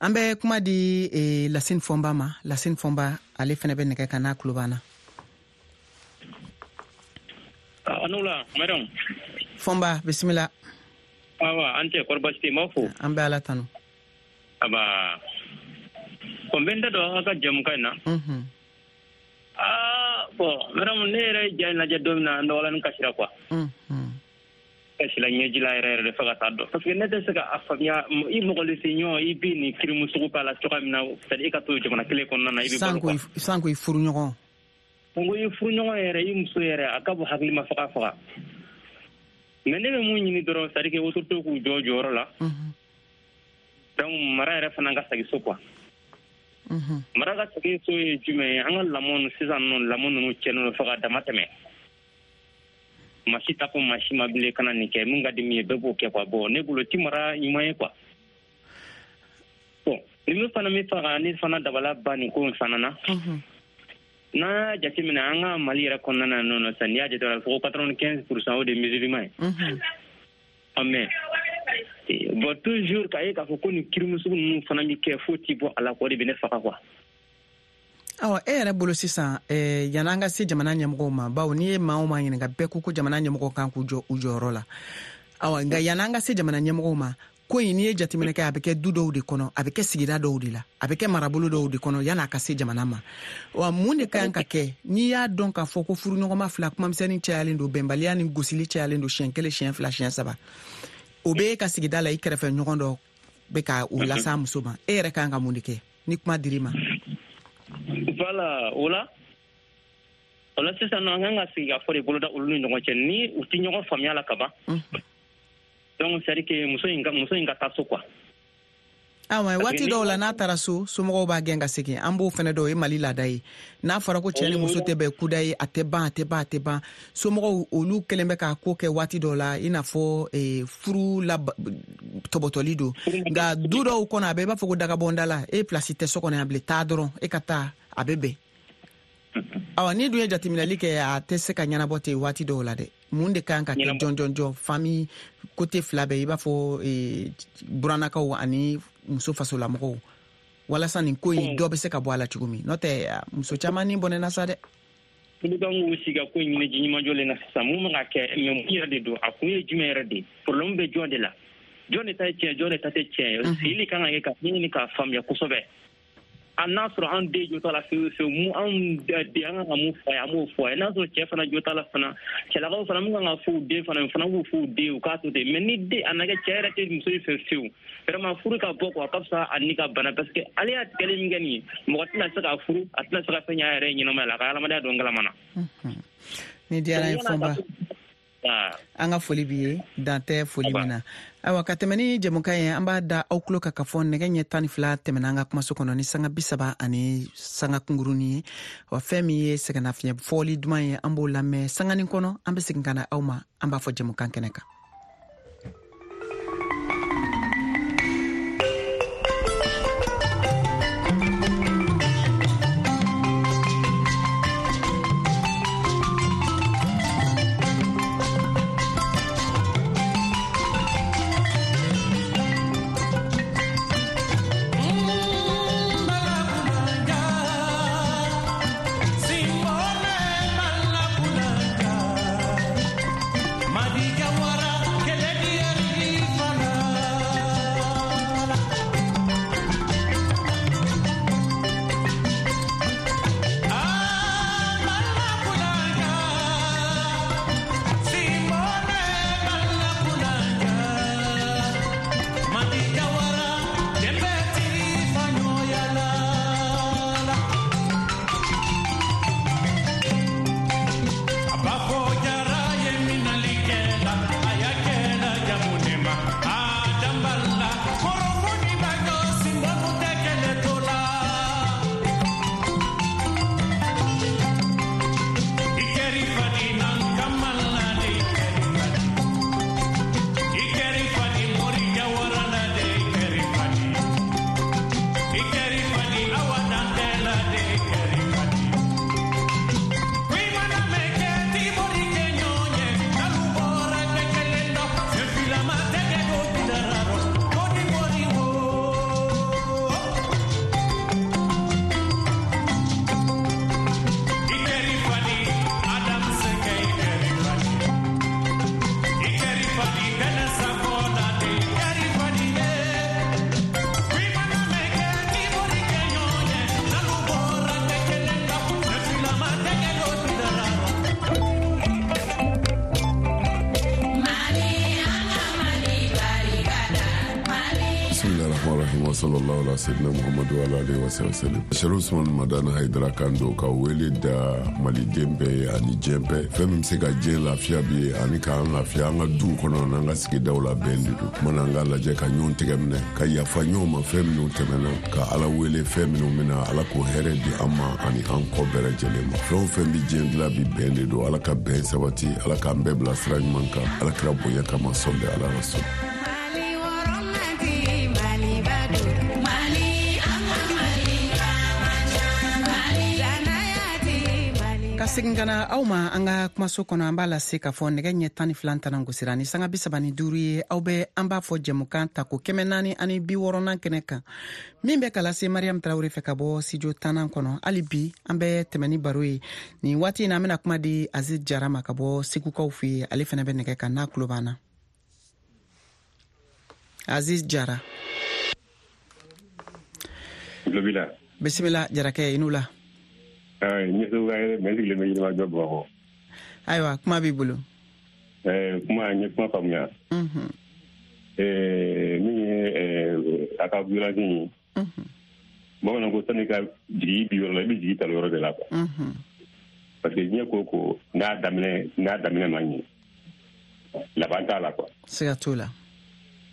An bɛ kuma di eh, Lasine Fɔnba ma. Lasine Fɔnba, ale fɛnɛ bɛ nɛgɛ kan n'a tulo b'an na. Anola, madame. Fɔnba, bisimila. Awa, an cɛ, kɔri baasi tɛ yen? N b'aw fo. An bɛ Ala tanu. Aba, bon, n bɛ n da don aw ka jɛmukan in na. Aa, bon, madame, ne yɛrɛ ye ja in lajɛ don min na, n dɔgɔlanin kasira quoi. Kasila ɲɛji la yɛrɛ yɛrɛ de fo ka taa dɔn parce que ne tɛ se ka a faamuya i mɔgɔninfin ɲɔgɔn i bɛ nin crime sugu k'a la cogoya min na, c'est à dire i ka to jamana kelen kɔnɔna na, i bɛ balo quoi. Sanko i furuɲɔgɔn. Sanko i furuɲɔgɔn yɛrɛ, i muso yɛrɛ, a ka bon hakili ma faga faga. Mais ne bɛ mun ɲini dɔrɔn, c'est à dire que autorité k'u jɔ jɔyɔrɔ la. Donc mara yɛrɛ fana ka segin so quoi. Mara ka segin so ye jumɛn ye? An ka lamɔ sisan nɔ, lamɔ ninnu tiɲɛnen don fo ka dama tɛmɛ. Maa si t'a fɔ maa si ma bilen kana nin kɛ, mun ka di min ye bɛɛ b'o kɛ quoi. Bon, ne bolo ti mara ɲuman ye quoi. Bon, ni min fana min faga ne fana dabala ba nin ko in fana na. N'an y'a jateminɛ an ka Mali yɛrɛ kɔnɔna na nɔ sisan, n'i y'a jateminɛ fo quatre-vingt-quinze pour cent o de ye musulman ye. Mais bon, toujours k'a ye k'a fɔ ko nin crime sugu ninnu fana bɛ kɛ, fo ti bɔ a la quoi, o de bɛ ne faga quoi. Awa, e yɛrɛ bolo sisan, eh, yan'an ka se jamana ɲɛmɔgɔw ma, bawo n'i ye maa o maa ɲininka, bɛɛ ko ko jamana ɲɛmɔgɔw kan k'u jɔ u jɔyɔrɔ la. Awa, nka yan'an ka se jamana ɲɛmɔgɔw ma, ko in n'i ye jateminɛ kɛ, a bɛ kɛ du dɔw de kɔnɔ, a bɛ kɛ sigida dɔw de la, a bɛ kɛ marabolo dɔw de kɔnɔ yan'a ka se jamana ma. Wa mun de ka kan ka kɛ n'i y'a dɔn k'a fɔ ko furuɲɔgɔnma fila kumamisɛnnin cayalen don, bɛnbaliya ni gosili cayalen don siɲɛ kelen, siɲɛ fila, siɲɛ saba, o bɛ e ka sigida la, i kɛrɛfɛ ɲɔgɔn dɔ bɛ ka o lase a muso ma, e yɛrɛ ka kan ka mun de kɛ ni kuma dir'i ma? Voilà, o la o la sisan nɔ, an kan ka sigi ka fɔ de boloda olu ni ɲɔgɔn cɛ, ni u tɛ ɲɔgɔn faamuya la ka ban. Donc c'est à dire que muso in ka muso in ka taa so quoi. Awa, waati dɔw la n'a taara so, somɔgɔw b'a gɛn ka segin. An b'o fɛnɛ dɔn, o ye Mali laada ye. N'a fɔra ko cɛ ni muso tɛ bɛn kuda ye, a tɛ ban, a tɛ ban, a tɛ ban. Somɔgɔw olu kɛlen bɛ k'a ko kɛ waati dɔw la, i n'a fɔ eh, furu la tɔbɔtɔli don. Nka du dɔw kɔnɔ, a bɛ i b'a fɔ ko dagabɔnda la, e place tɛ so kɔnɔ yan bilen, taa dɔrɔn, e ka taa, a bɛ bɛn. Awa, n'i dun ye jateminɛli kɛ, a tɛ se ka ɲɛnabɔ ten waati dɔw la dɛ. Mun de kan ka kɛ jɔn jɔn jɔn famille côté fila bɛɛ, i b'a fɔ eh, burannakaw ani muso fasolamɔgɔw, walasa nin ko in dɔ bɛ se ka bɔ a la cogo min? N'o tɛ, muso caman ni bɔnɛna sa dɛ. Olu kan k'u sigi ka ko in ɲini ji ɲuman jɔlen na sisan. Mun bɛ ka kɛ, mais mun yɛrɛ de don, a kun ye jumɛn yɛrɛ de ye? Problème bɛ jɔn de la? Jɔn de ta ye tiɲɛ, jɔn de ta tɛ tiɲɛ ye? Sigili kan ka kɛ ka ɲini k'a faamuya kosɛbɛ. A n'a sɔrɔ an den jo t'a la fewu fewu, mun anw den an kan ka mun fɔ a ye, an b'o fɔ a ye. N'a sɔrɔ cɛ fana jo t'a la fana, cɛlakaw fana mun kan ka fɔ u den fana, fana b'u fɔ u den, u k'a to ten. Mais ni den a na kɛ cɛ yɛrɛ tɛ muso in fɛ fewu, vraiment furu ka bɔ quoi, a ka fisa a ni ka bana, parce que ale y'a tigɛli min kɛ nin ye, mɔgɔ tɛna se k'a furu, a tɛna se ka fɛn ɲɛ a yɛrɛ ye ɲɛnamaya la, a ka adamadenya don galama na. Ni diyara n ye Fɔnba. An ka foli b'i ye, dan tɛ foli min na. Ayiwa, ka tɛmɛ ni jɛmukan ye, an b'a da aw tulo kan k'a fɔ nɛgɛ ɲɛ tan ni fila tɛmɛna an ka kumaso kɔnɔ ni sanga bi saba ani sanga kunkurunin ye. Wa fɛn min ye sɛgɛnnafiɲɛ fɔli duman ye, an b'o lamɛn sanganin kɔnɔ, an bɛ segin ka na aw ma, an b'a fɔ jɛmukan kɛnɛ kan. Madi Jawara. Rahman Rahim wa sallallahu ala sayyidina Muhammadu wa ala alihi wa sallam. Sherif Usman Madani Haidara kan don ka wele da maliden bɛɛ ye ani diɲɛ bɛɛ. Fɛn min bɛ se ka diɲɛ lafiya bi ye ani k'an lafiya an ka duw kɔnɔ n'an ka sigidaw la bɛn de don. Kumana an k'a lajɛ ka ɲɔgɔn tɛgɛ minɛ ka yafa ɲɔgɔn ma fɛn minnu tɛmɛna ka Ala wele fɛn minnu bɛna Ala k'o hɛrɛ di an ma ani an kɔ bɛɛ lajɛlen ma. Fɛn o fɛn bɛ diɲɛ dilan bi bɛn de don. Ala ka bɛn sabati, Ala k'an bɛɛ bila sira ɲuman kan. Ala kira bonya kama sɔli ala rasul. Ka segin ka na aw ma an ka kumaso kɔnɔ, an b'a lase k'a fɔ nɛgɛ ɲɛ tan ni fila tanan gosira ni sanga bi saba ni duuru ye. Aw bɛ an b'a fɔ jɛmukan tako kɛmɛ naani ani bi wɔɔrɔnan kɛnɛ kan min bɛ ka lase Mariam Tarawele fɛ ka bɔ studio tannan kɔnɔ. Hali bi an bɛ tɛmɛ ni baro ye nin waati in na. An bɛna kuma di Aziz Jara ma ka bɔ Segukaw fɛ yen. Ale fana bɛ nɛgɛ kan n'a tulo b'an na. Aziz Jara, bisimila Jarakɛ, i n'u la. Ayiwa, kuma b'i bolo. Kuma n ye kuma faamuya. Min ye a ka violence ye, bamananw ko sani ka jigin bi yɔrɔ la, i bɛ jigin tali yɔrɔ de la quoi. Parce que diɲɛ ko ko n'a daminɛ n'a daminɛ ma ɲɛ, laban t'a la quoi. Siga t'o la.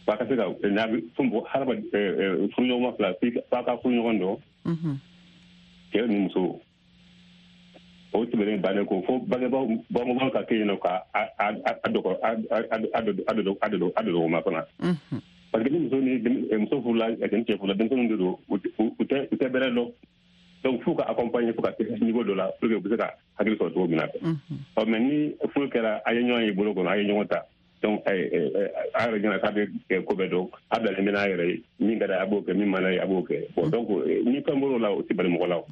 F'a ka se ka n'a bɛ fo mɔgɔ hadamaden furuɲɔgɔnma fila f'a ka furuɲɔgɔn dɔn, cɛ ni muso. O tɛmɛnen bannen ko fo bangebaaw bangebaaw ka kɛ yen nɔ ka a a a dɔgɔ a a a a a dɔgɔma fana. Parce que ni muso ni muso furula ni cɛ furula, denmisɛnninw de don, u tɛ u tɛ bɛrɛ dɔn. Donc f'u ka accompagner fo ka se niveau dɔ la pour que u bɛ se ka hakili sɔrɔ cogo min na. Ɔ mais ni furu kɛra, a ye ɲɔgɔn ye bolo kɔnɔ, a ye ɲɔgɔn ta. Donc a yɛrɛ ɲɛna k'a bɛ ko bɛɛ dɔn, a bilalen bɛ n'a yɛrɛ ye, min ka d'a ye a b'o kɛ, min man d'a ye a b'o kɛ. Bon donc ni fɛn bɔr'o la, o tɛ bali mɔgɔ la o.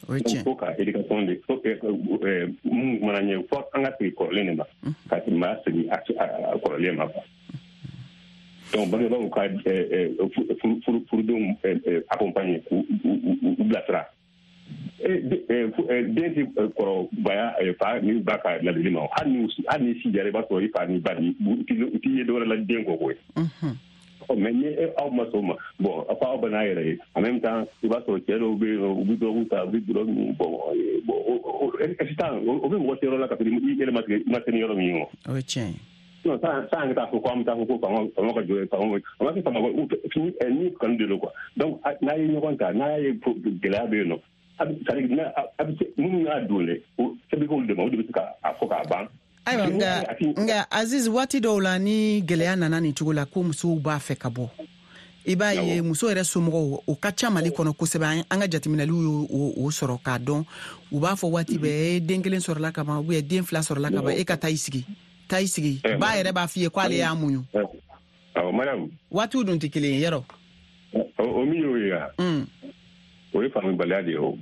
Donc fo ka éducation de fo mun kumana ɲɛ, fo an ka segin kɔrɔlen de ma, ka maa segin a kɔrɔlen ma quoi. Donc bangebaaw ka furudenw accompagner k'u bilasira. Den tɛ kɔrɔbaya fa ni ba ka ladili ma, hali ni hali ni si jara, i b'a sɔrɔ i fa ni ba ni u t'i ye dɔwɛrɛ la den kɔ koyi. Mais ni aw ma sɔn o ma, bon fo aw bɛ n'a yɛrɛ ye. En même temps i b'a sɔrɔ cɛ dɔw bɛ yen nɔ, u bɛ dɔrɔgu ta, u bɛ dɔrɔgu min bon bon sisan o bɛ mɔgɔ se yɔrɔ la ka sɔrɔ i yɛrɛ ma se ni yɔrɔ min ye o. O ye tiɲɛ ye. Non, sans sans k'a fɔ ko an bɛ taa fɔ ko fanga fanga ka jɔ ye fanga an b'a fɔ fanga ni kanu de don quoi. Donc n'a ye ɲɔgɔn ta, n'a ye gɛlɛya bɛ yen nɔ, a bɛ c'est à a bɛ se minnu y'a don dɛ, o sɛbɛn k'olu de ma, o de bɛ se k'a fɔ k'a ban. Ayiwa, nka nka Aziz, waati dɔw la ni gɛlɛya nana nin cogo la ko musow b'a fɛ ka bɔ, i b'a ye muso yɛrɛ somɔgɔw o ka ca Mali kɔnɔ kosɛbɛ. An ka jateminɛliw y'o sɔrɔ k'a dɔn. U b'a fɔ waati bɛɛ, e den kelen sɔrɔla ka ban ou bien den fila sɔrɔla ka ban, e ka taa i sigi, taa i sigi. Ba yɛrɛ b'a f'i ye k'ale y'a muɲu. Awɔ madame. Waatiw dun tɛ kelen ye yɔrɔ. O min y'o ye wa? O ye faamubaliya de ye o.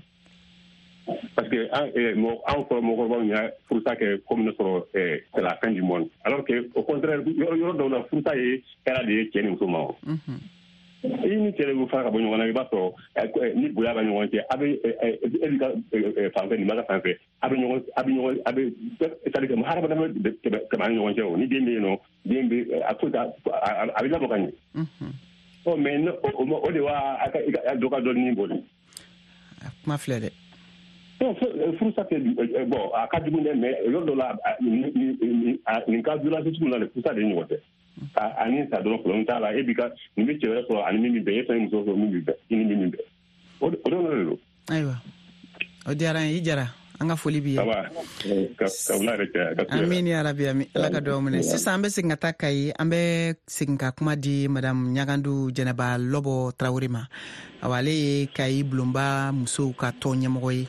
Parce que anw fɔlɔ mɔgɔkɔrɔbaw y'a furusa kɛ komi ne sɔrɔ c'est la fin du monde, alors que au contraire yɔrɔ dɔw la furusa ye hɛrɛ de ye cɛ ni muso ma o. I ni cɛ de bɛ fara ka bɔ ɲɔgɔn na, i b'a sɔrɔ ni bonya bɛ ɲɔgɔn cɛ, a bɛ e b'i ka fan fɛ, nin b'a ka fan fɛ, a bɛ ɲɔgɔn a bɛ ɲɔgɔn a bɛ c'est à dire que hadamaden bɛ tɛmɛ an ni ɲɔgɔn cɛ o. Ni den bɛ yen nɔ, den bɛ a foyi t'a a bɛ lamɔ ka ɲɛ. Ɔ mais o de b'a a ka dɔ ka dɔ nin bɔ. Kuma filɛ dɛ. Non, furusa tɛ bon a ka jugu dɛ, mais yɔrɔ dɔ la nin ka violence sugu la dɛ, furusa de ɲɔgɔn tɛ. A ni sa dɔrɔn problème t'a la, e b'i ka nin bɛ cɛ wɛrɛ sɔrɔ ani min bɛ bɛn, e fana ye muso sɔrɔ min bɛ bɛn, i ni min bɛ bɛn, o de o de don. Ayiwa, o diyara n ye, i Jara, an ka foli b'i ye. Amin ya rabi, amin. Ala ka dugawu minɛ. Sisan an bɛ segin ka taa Kayi, an bɛ segin ka kuma di madame Ɲagandu Jɛnɛba Lɔbɔ Tarawele ma. Awa, ale ye Kayi bulonba musow ka tɔn ɲɛmɔgɔ ye.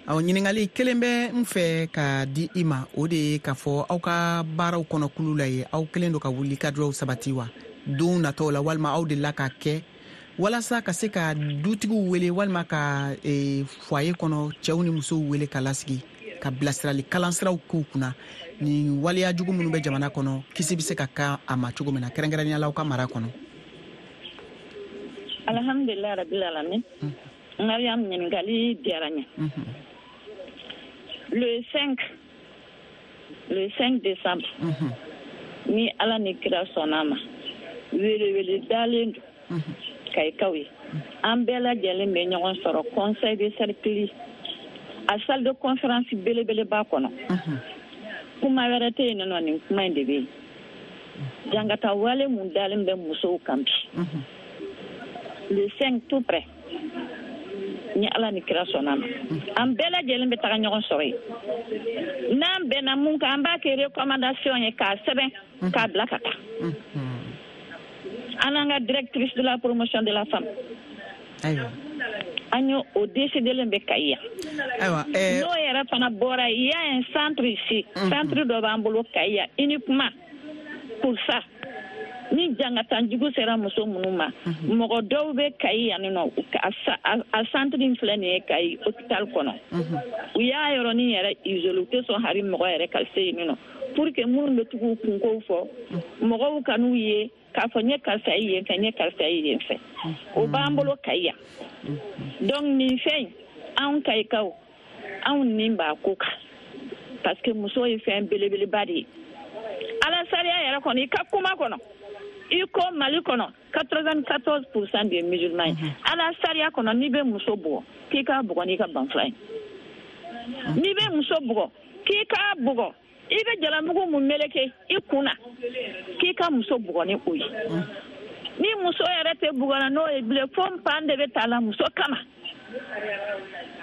Aw ɲininkali kelen bɛ n fɛ ka di i ma, o de ye k'a fɔ aw ka baaraw kɔnɔ kulu la ye, aw kelen don ka wuli ka dɔw sabati wa don nataw la, walima aw delila ka kɛ walasa ka se ka dutigiw wele walima ka e, foyer kɔnɔ cɛw ni musow wele ka lasigi ka bilasirali kalansiraw k'u kunna ni waleya jugu minnu bɛ jamana kɔnɔ, kisi bɛ se ka ka a ma cogo min na, kɛrɛnkɛrɛnnenya la aw ka mara kɔnɔ. Alhamdulilayi rabbil alamin. Mariam, ɲininkali diyara n ye. Le cinq, le cinq décembre, mm -hmm. ni Ala ni kira sɔnna ma, welewele dalen don. Kayikaw ye, an bɛɛ lajɛlen bɛ ɲɔgɔn sɔrɔ conseil de cercle a salle de conférence belebeleba kɔnɔ. Kuma wɛrɛ tɛ yen nɔ, nin kuma in de bɛ yen. Jangata wale mun dalen bɛ musow kan bi, le cinq tout près, ni Ala ni kira sɔnna ma, an bɛɛ lajɛlen bɛ taga ɲɔgɔn sɔrɔ yen. N'an bɛnna mun kan, an b'a kɛ recommandation ye k'a sɛbɛn k'a bila ka taa an n'an ka directrice de la promotion de la femme. Ayiwa, an y'o o décidelen bɛ Kayi yan. Ayiwa, ɛɛ n'o yɛrɛ fana bɔra, il y a un centre ici, centre dɔ b'an bolo Kayi yan uniquement pour ça. Ni jangatanjugu sera muso minnu ma, mɔgɔ dɔw bɛ Kayi yan nɔ, a centre in filɛ nin ye Kayi hôpital kɔnɔ. U y'a yɔrɔnin yɛrɛ isolé, u tɛ sɔn hali mɔgɔ yɛrɛ ka se yen nɔ, pour que minnu bɛ tugu u kunkow fɔ, mɔgɔw ka n'u ye k'a fɔ n ye karisa ye yen fɛ, n ye karisa ye yen fɛ. O b'an bolo Kayi yan. Donc nin fɛn in, anw Kayikaw, anw nin b'a ko kan, parce que muso ye fɛn belebeleba de ye. Ala sariya yɛrɛ kɔnɔ, i ka kuma kɔnɔ, i ko Mali kɔnɔ quatre-vingt-quatorze pour cent de musulmans ye. Ala sariya kɔnɔ, n'i bɛ muso bugɔ, k'i k'a bugɔ n'i ka banfula ye. N'i bɛ muso bugɔ, k'i k'a bugɔ, i bɛ jalamugu mun meleke i kun na, k'i ka muso bugɔ ni o ye. Ni muso yɛrɛ tɛ bugɔ la n'o ye bilen, fo npan de bɛ taa la muso kama.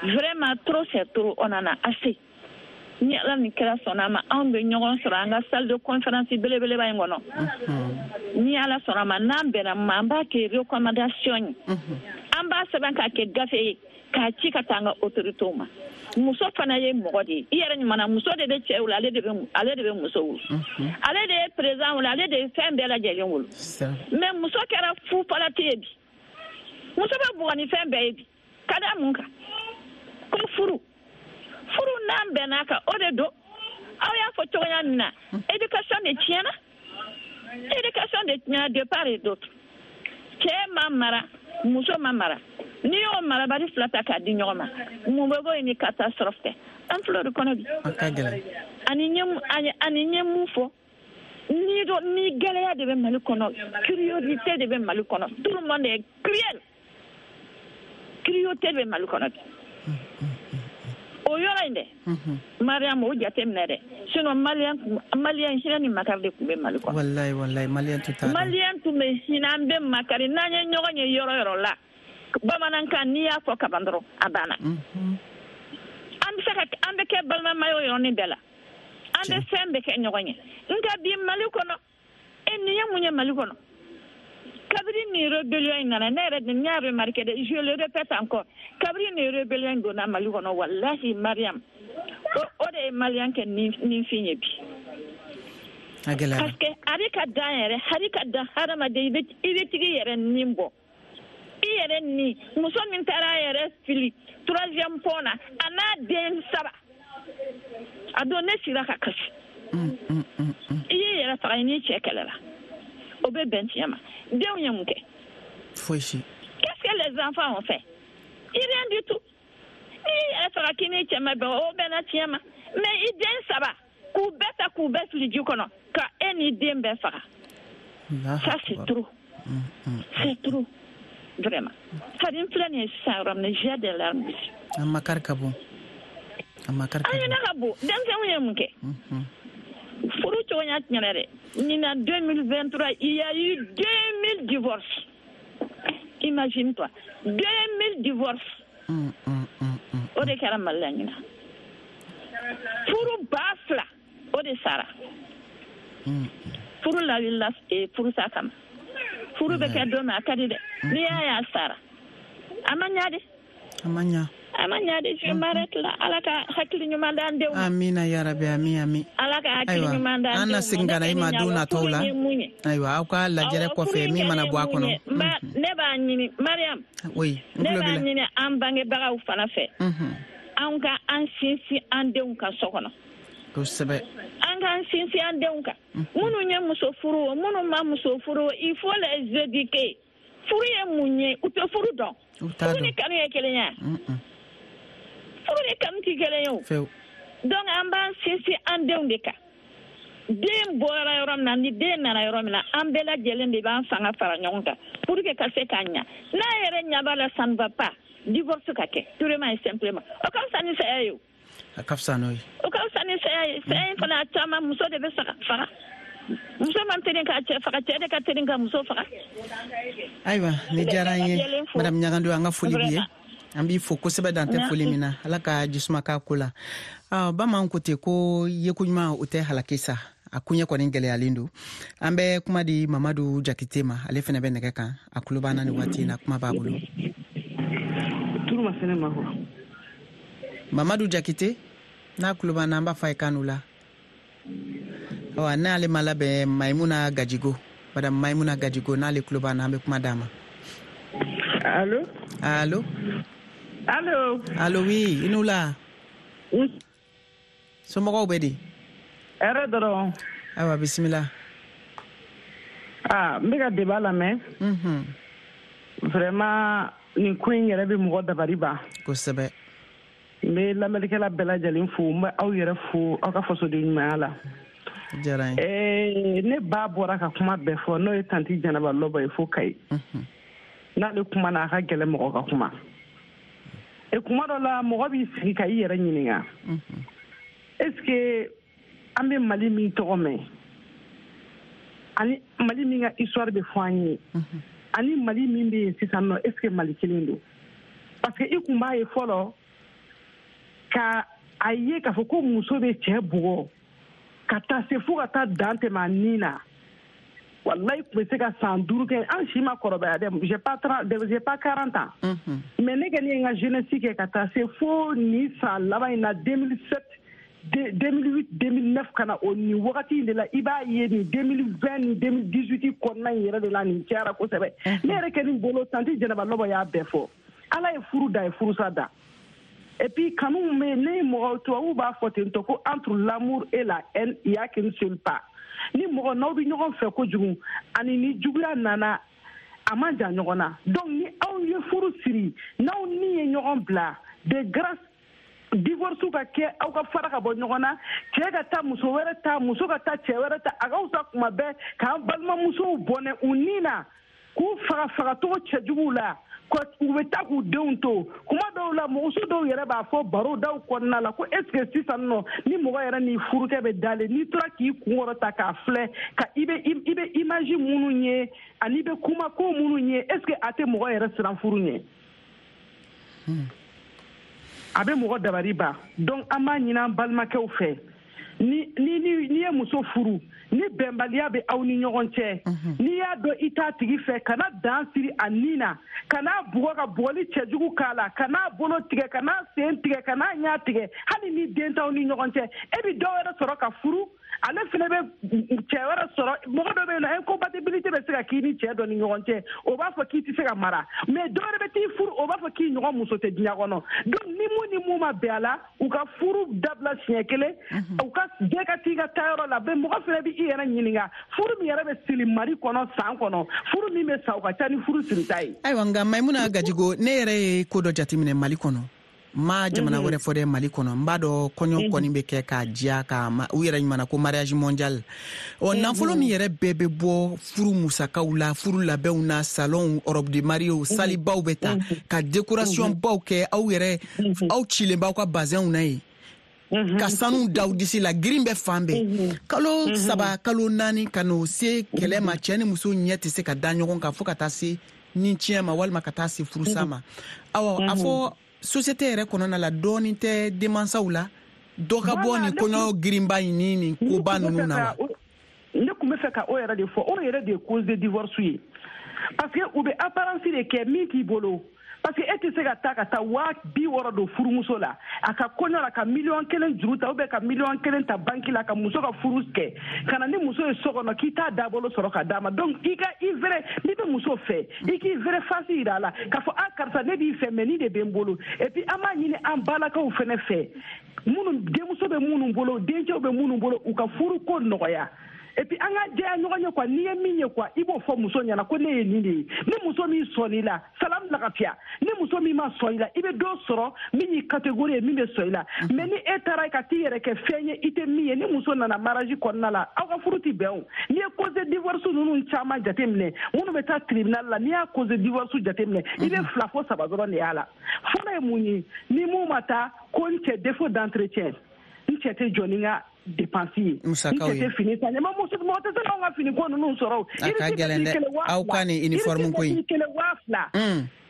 Vraiment, trop c'est trop, on en a assez. Ni Ala ni kira sɔnna a ma, anw bɛ ɲɔgɔn sɔrɔ an ka salle de conférence belebeleba in kɔnɔ. Ni Ala sɔnna a ma, n'an bɛnna ma, an b'a kɛ recommandation ye, an b'a sɛbɛn k'a kɛ gafe ye k'a ci ka taa an ka autorités ma. Muso fana ye mɔgɔ de ye, i yɛrɛ ɲuman na, muso de bɛ cɛ wolo, ale de bɛ ale de bɛ muso wolo, ale de ye président wolo, ale de ye fɛn bɛɛ lajɛlen wolo. Mais muso kɛra fufalati ye bi, muso bɛ bugɔ ni fɛn bɛɛ ye bi, ka da mun kan? Ko furu furu n'an bɛn'a kan, o de don. Aw y'a fɔ cogoya min na, éducation de tiɲɛna, éducation de tiɲɛna de part et d'autre. Cɛ ma mara, muso ma mara. N'i y'o marabali fila ta k'a di ɲɔgɔn ma, mun bɛ bɔ yen ni catastrophe tɛ? An filɛ o de kɔnɔ bi. A ka gɛlɛn. Ani n ye ani n ye mun fɔ, ni dɔ ni gɛlɛya de bɛ Mali kɔnɔ, cruauté de bɛ Mali kɔnɔ, tout le monde est cruel, cruauté bɛ Mali kɔnɔ bi. O yɔrɔ in dɛ, Mariam, o jate minɛ dɛ, sinon malien malien hinɛ ni makari de tun bɛ Mali kɔnɔ. Walayi walayi, malien tun t'a dɔn. Malien tun bɛ hinɛ, an bɛ makari, n'an ye ɲɔgɔn ye yɔrɔ yɔrɔ la, bamanankan n'i y'a fɔ kaban dɔrɔn a banna. An bɛ se ka an bɛ kɛ balimama ye o yɔrɔnin bɛɛ la, an bɛ fɛn bɛɛ kɛ ɲɔgɔn ye. Nka bi Mali kɔnɔ, e nin ye mun ye Mali kɔnɔ? Kabini nin rébellion in nana, ne yɛrɛ de n y'a remarqué dɛ, je le répète encore, kabini nin rébellion in donna Mali kɔnɔ, walahi Mariam, o o de ye malien kɛ ninfin ye bi. A gɛlɛyara. Parce que a bɛ ka dan yɛrɛ, hali ka dan hadamaden, i bɛ i bɛ tigi yɛrɛ nin bɔ. I yɛrɛ ni muso min taara a yɛrɛ fili troisième pont na, a n'a den saba, a don ne sira ka kasi. I y'i yɛrɛ faga, i n'i cɛ kɛlɛ la, o bɛ bɛn tiɲɛ ma. Denw ye mun kɛ? Foyi si. Qu'est-ce que les enfants ont fait? Rien du tout. N'i yɛrɛ faga k'i n'i cɛ ma bɛn, o bɛnna tiɲɛ ma. Mais i den saba k'u bɛɛ ta k'u bɛɛ fili ji kɔnɔ, ka e n'i den bɛɛ faga. Ça c'est trop. C'est trop. Vraiment. Hali n filɛ nin ye sisan yɔrɔ min na, j'ai des larmes. A makari ka bon. A makari ka bon. An ɲinɛ ka bon. Denmisɛnninw ye mun kɛ? Furu cogoya tiɲɛna dɛ. Ɲinan deux mille vingt-trois, il y a eu deux mille divorces. Imagine-toi, deux mille divorces. Mm, mm, mm, mm. O de kɛra Mali la ɲinan. Furu ba fila, o de sara. Furu lawulila furusa kama. Furu bɛ kɛ don min a ka di dɛ. N'i y'a ye a sara, a ma ɲa de. A ma ɲa. A ma ɲa de, je m'arrête là. Ala ka hakili ɲuman d'an denw ma. Amina yarabi, ami ami. Ala ka hakili ɲuman d'an denw ma. An na segin ka na i ma don nataw la. Ayiwa, aw ka lajɛrɛ kɔfɛ min mana bɔ a kɔnɔ. Ne b'a ɲini Mariam. Oui, ne b'a ɲini an bangebagaw fana fɛ. Anw ka an sinsin an denw kan so kɔnɔ. Kosɛbɛ. An k'an sinsin an denw kan. Minnu ye muso furu o, minnu ma muso furu o, il faut les éduquer. Furu ye mun ye? U tɛ furu dɔn. Furu ni kanu ye kelen ye. Furu ni kanu tɛ kelen ye o. Fewu. Donc an b'an sinsin an denw de kan. Den bɔra yɔrɔ min na, ni den nana yɔrɔ min na, an bɛɛ lajɛlen de b'an fanga fara ɲɔgɔn kan pour que ka se k'a ɲa. N'a yɛrɛ ɲɛ b'a la, ça ne va pas, divorce ka kɛ purement et simplement. O ka fisa ni saya ye o. A ka fisa n'o ye. O ka fisa ni saya ye. Saya in fana, a caman, muso de bɛ faga. Muso man teli k'a cɛ faga, cɛ de ka teli ka muso faga. Ayiwa, ni diyara an ye, madame Ɲagando, an ka foli b'i ye. An b'i fo kosɛbɛ, dan tɛ foli min na. Ala ka jisuma k'a ko la. Bamananw ko ten ko yeko ɲuman, o tɛ halaki sa. A koɲɛ kɔni gɛlɛyalen don. An bɛ kuma di Mamadu Jakite ma, ale fana bɛ nɛgɛ kan, a tulo b'an na nin waati in na, kuma b'a bolo. Mamadu Jakite, n'a tulo b'an na, an b'a fɔ a ye kan la. Awa, n'ale ma labɛn, Maimuna Gajigo, madame Maimuna Gajigo, n'ale tulo b'an na, an bɛ kuma d'a ma. Allo? Allo? Allo? Allo, oui, i n'u la. Somɔgɔw bɛ di? Hɛrɛ dɔrɔn. Ayiwa, bisimila. Ah, n bɛ ka débat lamɛn. Unhun. Vraiment, nin ko in yɛrɛ bɛ mɔgɔ dabali ban. Kosɛbɛ. N bɛ lamɛnnikɛla bɛɛ lajɛlen fo, n bɛ aw yɛrɛ fo aw ka fasoden ɲumanya la. Diyara n ye. Eh, ne ba bɔra ka kuma bɛɛ fɔ, n'o ye tanti Jɛnɛba Lɔbɔ ye fo Kayi. N'ale kuma na, a ka gɛlɛn mɔgɔ ka kuma. E kuma dɔ la, mɔgɔ b'i sigi ka i yɛrɛ ɲininka. Est-ce que an bɛ Mali min tɔgɔ mɛn, ani Mali min ka histoire bɛ fɔ an ye, ani Mali min bɛ yen sisan nɔ, est-ce que Mali kelen don? Parce que i kun b'a ye fɔlɔ, ka a ye k'a fɔ ko muso bɛ cɛ bugɔ ka taa se fo ka taa dan tɛmɛ a nin na. Wallahi, tun bɛ se ka san duuru kɛ, an si ma kɔrɔbaya dɛ, j'ai pas trente, j'ai pas quarante ans. Mais ne kɔni ye n ka jeunesse kɛ ka taa se fo nin san laban in na, deux mille sept, deux mille huit, deux mille neuf, ka na o nin wagati in de la, i b'a ye nin deux mille vingt ni deux mille dix-huit kɔnɔna in yɛrɛ de la, nin cayara kosɛbɛ. Ne yɛrɛ kɛ nin bolo, tanti Jɛnɛba Lɔbɔ y'a bɛɛ fɔ. Ala ye furu da, ye furusa da. Et puis kanu bɛ ne mɔgɔ, tubabuw b'a fɔ ten tɔ ko entre l'amour et la haine, il y a qu'une seule pas. Ni mɔgɔ n'aw bɛ ɲɔgɔn fɛ kojugu, ani ni juguya nana, a man jan ɲɔgɔn na. Donc ni aw ye furu siri, n'aw ni ye ɲɔgɔn bila, de grâce, divorce ka kɛ, aw ka fara ka bɔ ɲɔgɔn na, cɛ ka taa muso wɛrɛ ta, muso ka taa cɛ wɛrɛ ta. A ka fisa kuma bɛɛ k'an balimamusow bɔnɛ u ni na, k'u faga fagacogo cɛjuguw la, u bɛ taa k'u denw to. Kuma dɔw la, muso dɔw yɛrɛ b'a fɔ baro daw kɔnɔna la ko est ce que sisan nɔ, ni mɔgɔ yɛrɛ ni furukɛ bɛ dalen, n'i tora k'i kun kɔrɔta k'a filɛ, ka i bɛ i bɛ image minnu ye, ani i bɛ kuma ko minnu ye, est ce que a tɛ mɔgɔ yɛrɛ siran furu ɲɛ? A bɛ mɔgɔ dabali ban. Donc an b'a ɲini an balimakɛw fɛ, ni ni ni ye muso furu, ni bɛnbaliya bɛ aw ni ɲɔgɔn cɛ, n'i y'a dɔn i t'a tigi fɛ, kana dan siri a nin na, kana bugɔ ka bugɔli cɛjugu k'a la, kana bolo tigɛ, kana sen tigɛ, kana ɲɛ tigɛ, hali ni den t'aw ni ɲɔgɔn cɛ. E bɛ dɔw wɛrɛ sɔrɔ ka furu, ale fana bɛ cɛ wɛrɛ sɔrɔ. Mɔgɔ dɔ bɛ yen nɔ, incompatibilité bɛ se ka k'i ni cɛ dɔ ni ɲɔgɔn cɛ, o b'a fɔ k'i tɛ se ka mara. Mais dɔ wɛrɛ bɛ t'i furu, o b'a fɔ k'i ɲɔgɔn muso tɛ diɲɛ kɔnɔ. Donc ni mun ni mun ma bɛn a la, u ka furu dabila siɲɛ kelen, u ka bɛɛ ka t'i ka taayɔrɔ la. Bɛɛ mɔgɔ fana bɛ i yɛrɛ ɲininka, furu min yɛrɛ bɛ siri Mali kɔnɔ san kɔnɔ, furu min bɛ sa, o ka ca ni furu sirita ye. Ayiwa, nka Maimuna Gajigo, ne yɛrɛ ye ko dɔ jateminɛ Mali kɔnɔ. Ma jamana wɛrɛ fɔ dɛ, Mali kɔnɔ, n b'a dɔn kɔɲɔ kɔni bɛ kɛ k'a diya, ka u yɛrɛ ɲuman ko mariage mondial. Ɔ, nafolo min yɛrɛ bɛɛ bɛ bɔ furu musakaw la, furu labɛnw na, salon, robe de mariée, salibaw bɛ ta ka décoration baw kɛ, aw yɛrɛ aw cilen b'aw ka bazɛnw na yen, ka sanu da aw disi la, girin bɛ fan bɛɛ. Kalo saba, kalo naani, ka n'o se kɛlɛ ma, cɛ ni muso ɲɛ tɛ se ka da ɲɔgɔn kan fo ka taa se ni tiɲɛ ma, walima ka taa se furusa ma. Awɔ, a fɔ société yɛrɛ kɔnɔna la, dɔɔnin tɛ denmansaw la, dɔ ka bɔ nin kɔɲɔ girinba in ni nin koba ninnu na wa? Ne tun bɛ fɛ ka o yɛrɛ de fɔ, o yɛrɛ de ye cause de divorce ye, parce que u bɛ apparence de kɛ min t'i bolo. Parce que e tɛ se ka taa ka taa waa bi wɔɔrɔ don furumuso la a ka kɔɲɔ la, ka miliyɔn kelen juru ta, ou bien ka miliyɔn kelen ta banki la, ka muso ka furu kɛ, ka na ni muso ye so kɔnɔ, k'i t'a dabolo sɔrɔ ka d'a ma. Donc i ka i vrai, n'i bɛ muso fɛ, i k'i vrai face yira a la k'a fɔ a karisa, ne b'i fɛ, mais nin de bɛ n bolo. Et puis an b'a ɲini an balakaw fɛnɛ fɛ, minnu denmuso bɛ minnu bolo, dencɛw bɛ minnu bolo, u ka furu ko nɔgɔya. Et puis an ka jɛya ɲɔgɔn ye quoi, n'i ye min ye quoi, i b'o fɔ muso ɲɛna ko ne ye nin de ye. Ni muso min sɔnn'i la, salam lagafiya. Ni muso min ma sɔn i la, i bɛ dɔ sɔrɔ min y'i catégorie ye, min bɛ sɔn i la. Mais ni e taara ka t'i yɛrɛ kɛ fɛn ye i tɛ min ye, ni muso nana mariage kɔnɔna la, aw ka furu tɛ bɛn o. N'i ye cause de divorce ninnu caman jateminɛ, minnu bɛ taa tribunal la, n'i y'a cause de divorce jateminɛ, i bɛ fila fo saba dɔrɔn de y'a la. Fɔlɔ ye mun ye? Ni mun ma taa ko n cɛ défaut d'entretien, n cɛ tɛ jɔ ni n ka dépense ye, n cɛ tɛ fini san, ɲama muso mɔgɔ tɛ se k'anw ka fini ko ninnu sɔrɔ o. A ka gɛlɛn dɛ, aw ka nin uniforme ko in. Kelen waa fila.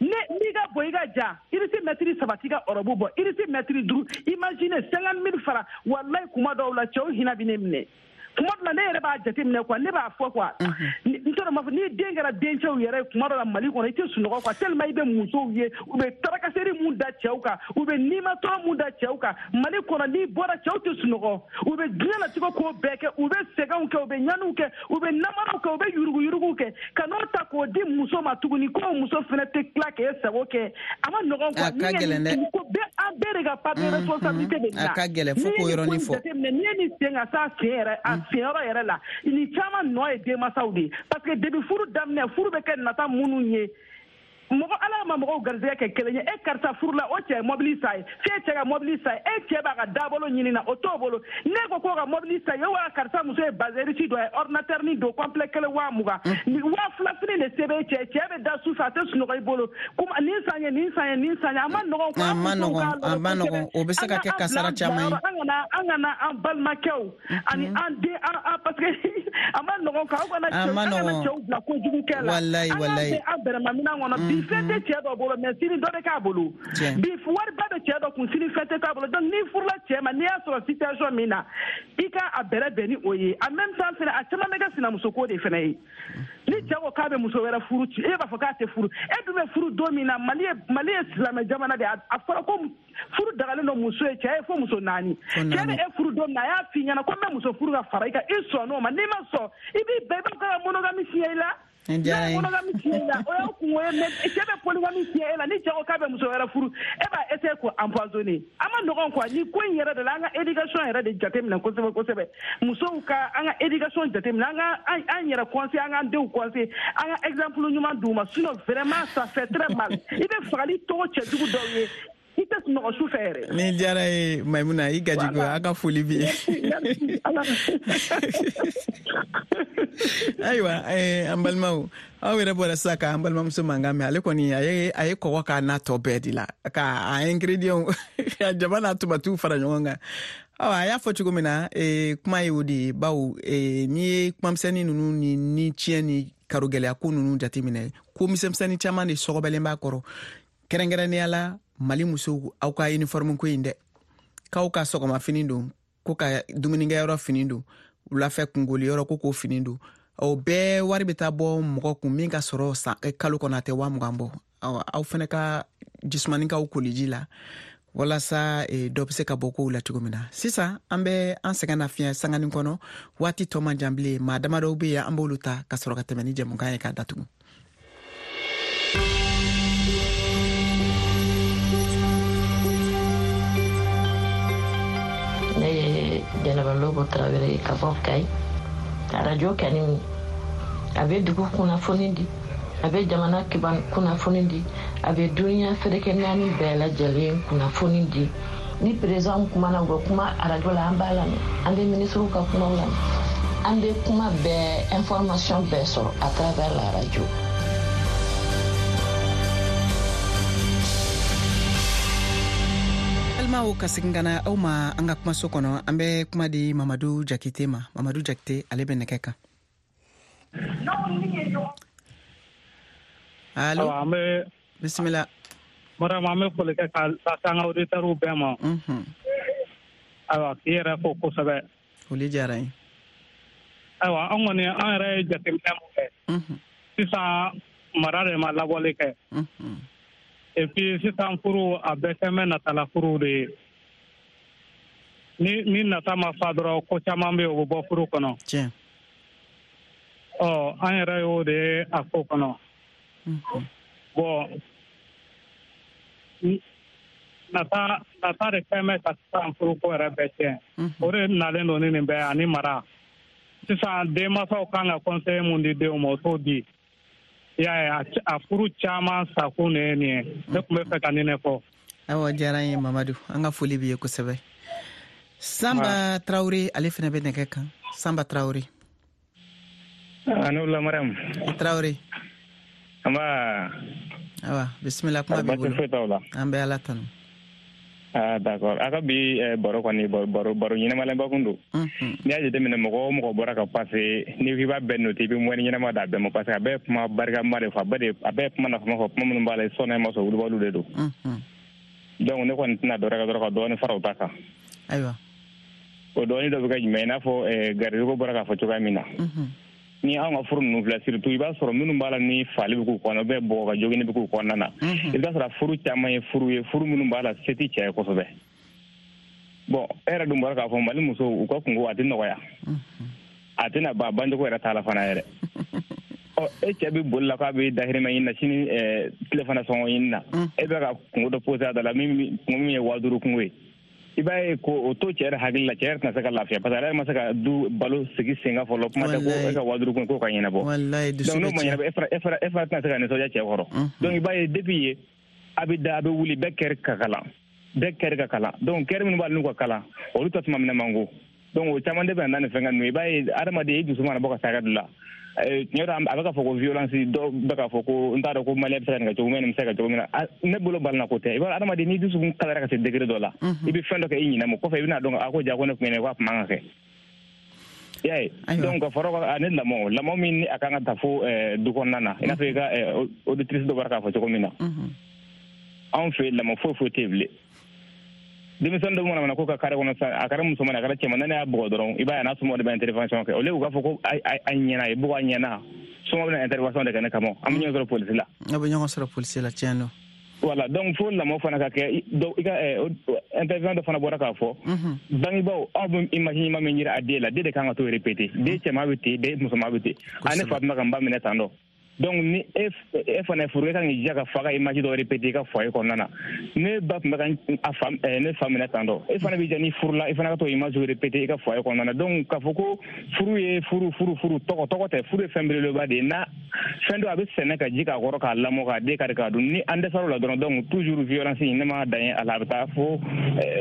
Ne n'i ka bɔ i ka ja, irisi mɛtiri saba t'i ka ɔrɔbu bɔ, irisi mɛtiri duuru, imagine cinquante mille francs, walayi kuma dɔw la cɛw hinɛ bɛ ne minɛ. Kuma dɔ la ne yɛrɛ b'a jateminɛ quoi, ne b'a fɔ quoi, n t'a dɔn m'a fɔ n'i den kɛra dencɛw yɛrɛ ye kuma dɔ la Mali kɔnɔ, i tɛ sunɔgɔ quoi, tellement i bɛ musow ye u bɛ tarakaseri mun da cɛw kan, u bɛ nimatɔrɔ mun da cɛw kan Mali kɔnɔ, n'i bɔra cɛw tɛ sunɔgɔ, u bɛ diɲɛlatigɛ ko bɛɛ kɛ, u bɛ sɛgɛnw kɛ, u bɛ ɲaniw kɛ, u bɛ namaraw kɛ, u bɛ yuruguyuruguw kɛ, ka n'o ta k'o di muso ma tuguni ko muso fana tɛ tila k'e sago kɛ, a ma nɔgɔn quoi. A ka gɛlɛn dɛ. Ko bɛɛ an bɛɛ de ka part de responsabilité bɛ nin na. A ka gɛlɛn fo k'o yɔrɔnin fɔ. N'i ye nin sen ka s'a sen yɛrɛ a senyɔrɔ yɛrɛ la, nin caman nɔ ye denmansaw de ye, parce que depuis furu daminɛ, furu bɛ kɛ nata minnu ye, mɔgɔ ala ma mɔgɔw garisɛgɛ kɛ kelen ye. E karisa furu la, o cɛ ye mobili san ye, f'e cɛ ka mobili san ye, e cɛ b'a ka dabolo ɲini na, o t'o bolo. Ne ko k'o ka mobili san ye, wa karisa muso ye bazɛrisi dɔ ye, ordinateur ni don complet kelen waa mugan, waa fila fini de se b'e cɛ, cɛ bɛ da su fɛ a tɛ sunɔgɔ i bolo, kuma nin san ye nin san ye nin san ye, a ma nɔgɔn quoi. A ma nɔgɔn, a ma nɔgɔn, o bɛ se ka kɛ kasara caman ye. An kana an kana an balimakɛw ani an den an an parce que a ma nɔgɔn quoi, aw kana cɛw an kana cɛw bila kojugu kɛ la. Walayi walayi. An k'an bɛn an bɛrɛma minɛn kɔnɔ. Bi fɛn tɛ cɛ dɔ bolo, mais sini dɔ bɛ k'a bolo. Bi wariba bɛ cɛ dɔ kun, sini fɛn tɛ k'a bolo. Donc n'i furula cɛ ma, n'i y'a sɔrɔ situation min na, i ka a bɛrɛ bɛn ni o ye. En même temps fɛnɛ, a caman bɛ kɛ sinamuso ko de fɛnɛ ye. Ni cɛ ko k'a bɛ muso wɛrɛ furu, e b'a fɔ k'a tɛ furu. E dun bɛ furu don min na, Mali ye Mali ye silamɛ jamana de ye. A fɔra ko furu dagalen don muso ye, cɛ ye fo muso naani. Cɛ bɛ e furu don min na, a y'a f'i ɲɛna ko n bɛ muso furu ka fara i kan, i sɔnn'o ma. N'i ma sɔn, i b'i bɛn, i b'a fɔ k'a ka monogamie signer i la. N'a ye monogamie signer i la, o y'aw kungo ye, mais cɛ bɛ polygamie signer e la, ni cɛ ko k'a bɛ muso wɛrɛ furu, e b'a essayer k'o empoisonner. A ma nɔgɔn quoi, ni ko in yɛrɛ de la, an ka éducation yɛrɛ de jateminɛ kosɛbɛ kosɛbɛ. Musow ka an ka éducation jateminɛ, an ka an yɛrɛ conseiller, an k'an denw conseiller, an ka exemple ɲuman d'u ma, sinon vraiment ça fait très mal. I bɛ fagali tɔgɔ cɛjugu dɔw ye, i tɛ sunɔgɔ su fɛ yɛrɛ. Ni diyara ye Maimuna, i gajigo, a ka foli b'i ye. Ayiwa, an balimaw, aw yɛrɛ bɔra sisan k'an balimamuso mankan mɛn, ale kɔni a ye a ye kɔgɔ k'a n'a tɔ bɛɛ de la, k'a ingrédients ka jaba n'a tomatiw fara ɲɔgɔn kan. Awa, a y'a fɔ cogo min na, kuma ye o de ye, bawo n'i ye kumamisɛnnin ninnu ni ni tiɲɛ ni karogɛlɛya ko ninnu jateminɛ, ko misɛnmisɛnnin caman de sɔgɔbɛlen b'a kɔrɔ, kɛrɛnkɛrɛnnenya la Mali musow, aw ka uniforme ko in dɛ, k'aw ka sɔgɔmafini don, ko ka dumunikɛyɔrɔ fini don, wulafɛ kungoliyɔrɔ ko k'o fini don, o bɛɛ wari bɛ taa bɔ mɔgɔ kun min ka sɔrɔ san kalo kɔnɔ a tɛ waa mugan bɔ. Aw fɛnɛ ka jisumani k'aw koliji la walasa dɔ bɛ se ka bɔ kow la cogo min na. Sisan an bɛ an sɛgɛn nafiɲɛ sanganin kɔnɔ, waati tɔ man jan bilen, maa damadɔw bɛ yen an b'olu ta ka sɔrɔ ka tɛmɛ ni jɛmukan ye k'a datugu. Ne ye Jɛnɛba Lobo Tarawele ye ka bɔ Kayi. Arajo kani a bɛ dugu kunnafoni di, a bɛ jamana kunnafoni di, a bɛ duniya ferekɛ naani bɛɛ lajɛlen kunnafoni di. Ni président kumana, u bɛ kuma arajo la, an b'a lamɛn, an bɛ minisiriw ka kumaw lamɛn, an bɛ kuma bɛɛ, information bɛɛ sɔrɔ à travers la radio. Balimaw, ka segin ka na aw ma an ka kumaso kɔnɔ, an bɛ kuma di Mamadu Jakite ma. Mamadu Jakite, ale bɛ nɛgɛ kan. Allo, bisimila. Madame, an bɛ foli kɛ ka lase an ka auditeurs bɛɛ ma. Ayiwa, k'i yɛrɛ fo kosɛbɛ. Foli diyara n ye. Ayiwa, an kɔni an yɛrɛ ye jateminɛ mun kɛ, sisan mara de ma labɔli kɛ. Et puis sisan furu a bɛɛ kɛ bɛ natala furu de ye. Ni ni nata ma fa dɔrɔn, ko caman bɛ yen o bɛ bɔ furu kɔnɔ. Tiɲɛ. Ɔ, an yɛrɛ y'o de ye a ko kɔnɔ. Bon, nata nata de kɛ bɛ ka sisan furuko yɛrɛ bɛɛ tiɲɛ. O de nalen don ni nin bɛɛ ani mara. Sisan denmansaw kan ka conseil mun di denw ma, o t'o di. I y'a ye, a furu caman sakun de ye nin ye. Ne tun bɛ fɛ ka nin de fɔ. Awa, diyara n ye Mamadu, an ka foli b'i ye kosɛbɛ. Sanba Tarawele, ale fana bɛ nɛgɛ kan. Sanba Tarawele. A ne wula Mariam. I Tarawele. Nba. Awa, bisimila, kuma b'i bolo. Baasi foyi t'aw la. An bɛ Ala tanu. Ah, d'accord. A ka bi baro kɔni, baro baro ɲɛnamalenba kun don. N'i y'a jateminɛ, mɔgɔ o mɔgɔ bɔra ka passe, n'i ko i b'a bɛɛ noter, i bɛ moyenne ɲɛnama d'a bɛɛ ma, parce que a bɛɛ ye kuma barikama de fɔ, a bɛɛ de a bɛɛ ye kuma nafama fɔ, kuma minnu b'a la sɔnna i ma sɔn, wulibaliw de don. Donc ne kɔni tɛna dɔ wɛrɛ kɛ dɔrɔn ka dɔɔnin fara o ta kan. Ayiwa. O dɔɔnin dɔ bɛ kɛ jumɛn ye? I n'a fɔ garijɛgɛ bɔra k'a fɔ cogoya min na. Ni anw ka furu ninnu filɛ, surtout i b'a sɔrɔ minnu b'a la ni fali bɛ k'u kɔnɔ, bɛɛ bɔgɔ ka jogini bɛ k'u kɔnɔna na. I bɛ sɔrɔ furu caman ye furu ye, furu minnu b'a la se tɛ cɛ ye kosɛbɛ. Bon, e yɛrɛ dun bɔra k'a fɔ Mali musow u ka kungo a tɛ nɔgɔya. A tɛna ban, bancogo yɛrɛ t'a la fana yɛrɛ. Ɔ, e cɛ bɛ boli la k'a bɛ dahirimɛ ɲini na, sini tilefana sɔngɔ ɲini na. E bɛ ka kungo dɔ posé a da la, min kungo min ye waa duuru kungo ye. I b'a ye ko o to cɛ yɛrɛ hakili la, cɛ yɛrɛ tɛna se ka lafiya, parce que ale yɛrɛ ma se ka du balo sigi sen kan fɔlɔ, kuma tɛ ko e ka waa duuru kun k'o ka ɲɛnabɔ. Donc n'o ma ɲɛnabɔ, e fana e fana e fana tɛna se ka nisɔndiya cɛ kɔrɔ. Donc i b'a ye depuis ye a bɛ da, a bɛ wuli, bɛɛ kɛri ka kalan, bɛɛ kɛri ka kalan. Donc kɛri minnu b'a la n'u ka kalan, olu ta tuma minɛ man go. Donc o caman de bɛ na ni fɛn ninnu. I b'a ye adamaden i dusu mana bɔ ka se hakɛ dɔ la, tiɲɛ dɔ a bɛ k'a fɔ ko violence, dɔw bɛ k'a fɔ ko n t'a dɔn ko maliyɛn bɛ se ka nin kɛ cogo min, nin bɛ se ka kɛ cogo min na. Ne bolo balina ko tɛ. I b'a dɔn, adamaden n'i dusukun kalayara ka se degré dɔ la, i bɛ fɛn dɔ kɛ i ɲinɛ ma, kɔfɛ i bɛna dɔn a ko ja ko ne tun ye ko a tun man ka kɛ. I y'a ye? Donc ka fara o kan, ani lamɔ lamɔ min ni a kan ka ta fo du kɔnɔna na, i n'a fɔ i ka auditrice dɔ bɔra k'a fɔ cogo min na, anw fɛ yen lamɔ foyi foyi tɛ yen bilen. Denmisɛnnin dɔ mana mana ko ka carré kɔnɔ sisan, a kɛra musoman a kɛra cɛman, n'a y'a bugɔ dɔrɔn, i b'a ye a n'a somɔgɔw de bɛ intervention kɛ. Au lieu u k'a fɔ ko a ɲɛna, a ye bugɔ a ɲɛna, somɔgɔw bɛna intervention de kɛ ne kama, an bɛ ɲɔgɔn sɔrɔ polisi la. Aw bɛ ɲɔgɔn sɔrɔ polisi la, tiɲɛ don. Voilà, donc fo lamɔ fana ka kɛ. I ka intervention dɔ fana bɔra k'a fɔ, bangebaaw aw bɛ image ɲuman min yira a den la, den de kan ka t'o répéter. Den cɛman bɛ ten, den musoman bɛ ten. A ne fa tun bɛ ka n ba minɛ tan dɔ. Donc ni e e fana ye furu, e kan k'i jija ka fa ka image dɔ répéter i ka foyer kɔnɔna na. Ne ba tun bɛ ka a fa ne fa minɛ tan dɔ, e fana b'i jija ni furu la, i fana ka t'o image répéter i ka foyer kɔnɔna na. Donc k'a fɔ ko furu ye furu furu furu tɔgɔ tɔgɔ tɛ, furu ye fɛn belebeleba de ye. Na fɛn dɔ a bɛ sɛnɛ ka ji k'a kɔrɔ, k'a lamɔ, k'a den kari k'a dun. Ni an dɛsɛra o la dɔrɔn, donc toujours violence ne ma dan ye a la, a bɛ taa fo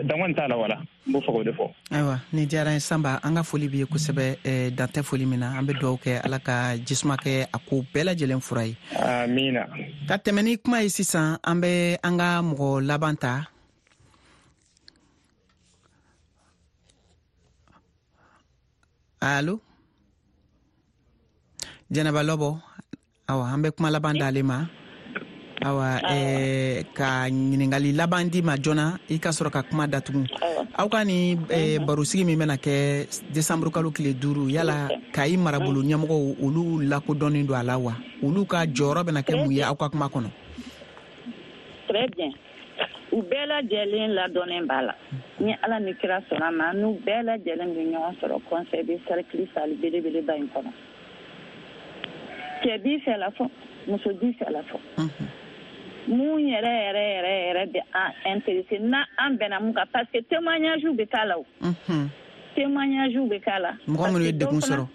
dan kɔni t'a la. Wala n b'o fɛ k'o de fɔ. Ayiwa, nin diyara n ye Sanba, an ka foli b'i ye kosɛbɛ. Dan tɛ foli min na, an bɛ dugawu kɛ Ala ka jisuma kɛ a ko bɛɛ lajɛlen fura ye. Amiina. Ka tɛmɛ ni kuma ye sisan, an bɛ an ka mɔgɔ laban ta. Allo, Jɛnɛba Lɔbɔ. Awa, an bɛ kuma laban d'ale ma. Awa, eh, ka ɲininkali laban di ma joona, i ka sɔrɔ ka kuma datugu. Aw ka ni eh, barosigi min bɛna kɛ desanburu kalo tile duuru, yala Kayi marabolo ɲɛmɔgɔw olu lakodɔnnen don a la wa? Olu ka jɔyɔrɔ bɛna kɛ mun ye aw ka kuma kɔnɔ? Très bien. U bɛɛ lajɛlen ladɔnnen b'a la. Ni Ala ni kira sɔnna ma, n'u bɛɛ lajɛlen bɛ ɲɔgɔn sɔrɔ conseil de cercle salle belebeleba in kɔnɔ. Cɛ b'i fɛ la fɔ, muso b'i fɛ la fɔ. Mun yɛrɛ yɛrɛ yɛrɛ yɛrɛ bɛ an intéressé n'a an bɛnna mun kan, parce que témoignage bɛ k'a la o. Témoignage bɛ k'a la. Mɔgɔ minnu ye degun sɔrɔ.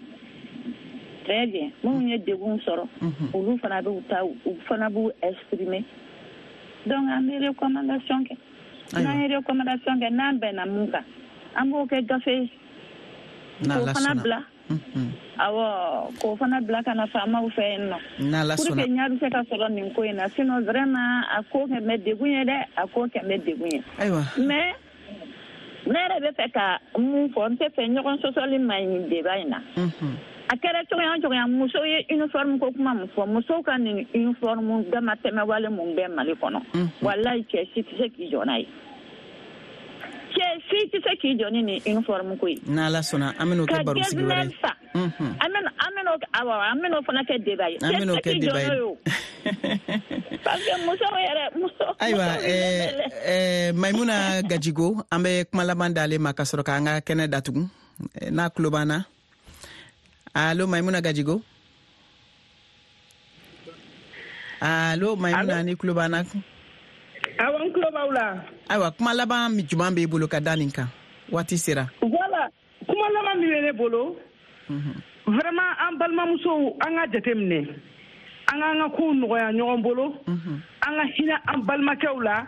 Très bien, minnu ye degun sɔrɔ, olu fana b'u ta, u fana b'u exprimer. Donc an bɛ recommandation kɛ. N'an ye recommandation kɛ, n'an bɛnna mun kan, an b'o kɛ gafe ye. K'o fana bila. Awɔ, k'o fana bila ka na faamaw fɛ yen nɔ. Pour que ɲɛ bɛ se ka sɔrɔ nin ko in na, sinon vraiment a ko kɛ bɛ degun ye dɛ, a ko kɛ bɛ degun ye. Ayiwa. Mais ne yɛrɛ bɛ fɛ ka mun fɔ, n tɛ fɛ ɲɔgɔn sɔsɔli man ɲi débat in na. A kɛra cogoya o cogoya, musow ye uniforme ko kuma mun fɔ, musow ka nin uniforme damatɛmɛwale mun bɛ Mali kɔnɔ, walayi cɛ si tɛ se k'i jɔ n'a ye. Cɛ si tɛ se k'i jɔ ni nin uniforme ko ye. N'Ala sɔnna, an bɛn'o kɛ barosigi wɛrɛ ye. An bɛna an bɛn'o awɔ an bɛn'o fana kɛ débat ye. An bɛn'o kɛ débat ye. Parce que musow yɛrɛ muso. Ayiwa, ɛɛ Mayimuna Gajigo, an bɛ kuma laban d'ale ma ka sɔrɔ k'an ka kɛnɛ datugu n'a tulo b'an na. Allo Mayimuna Gajigo. Allo Mayimuna, ni tulo b'an na. Awɔ, n tulo b'aw la. Ayiwa, kuma laban jumɛn b'e bolo ka da nin kan? Waati sera. Voilà, kuma laban min bɛ ne bolo, Vraiment an balimamusow, an ka jateminɛ, an k'an ka kow nɔgɔya ɲɔgɔn bolo, an ka hinɛ an balimakɛw la,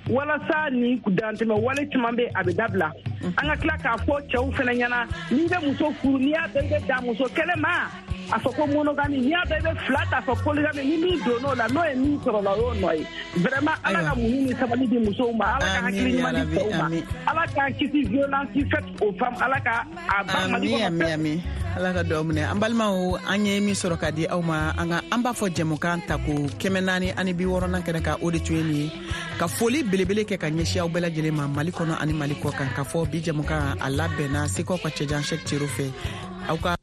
walasa nin dantɛmɛ wale caman bɛ, a bɛ dabila. An ka tila k'a fɔ cɛw fana ɲɛna, n'i bɛ muso furu, n'i y'a dɔn i bɛ dan muso kelen ma, a fɔ ko monogamie, n'i y'a dɔn i bɛ fila ta, a fɔ polygamie. Ni min donn'o la, n'o ye min sɔrɔ la, o y'o nɔ ye. Vraiment, Ala ka muɲu ni sabali di musow ma, Ala ka hakili ɲuman di cɛw ma, Ala k'an kisi violence faite aux femmes, Ala ka a ban Mali kɔnɔ. Ami, ami, Ala ka dugawu minɛ. An balimaw, an ye min sɔrɔ ka di aw ma, an ka an b'a fɔ jɛmukan ta ko kɛmɛ naani ani bi wɔɔrɔnan kɛnɛ kan, o de tun ye nin ye. Ka foli belebele kɛ ka ɲɛsin aw bɛɛ lajɛlen ma, Mali kɔnɔ ani Mali kɔ kan, k'a fɔ bi jɛmukan a labɛnna Segukaw ka cɛjan Sɛk Cero fɛ. Aw ka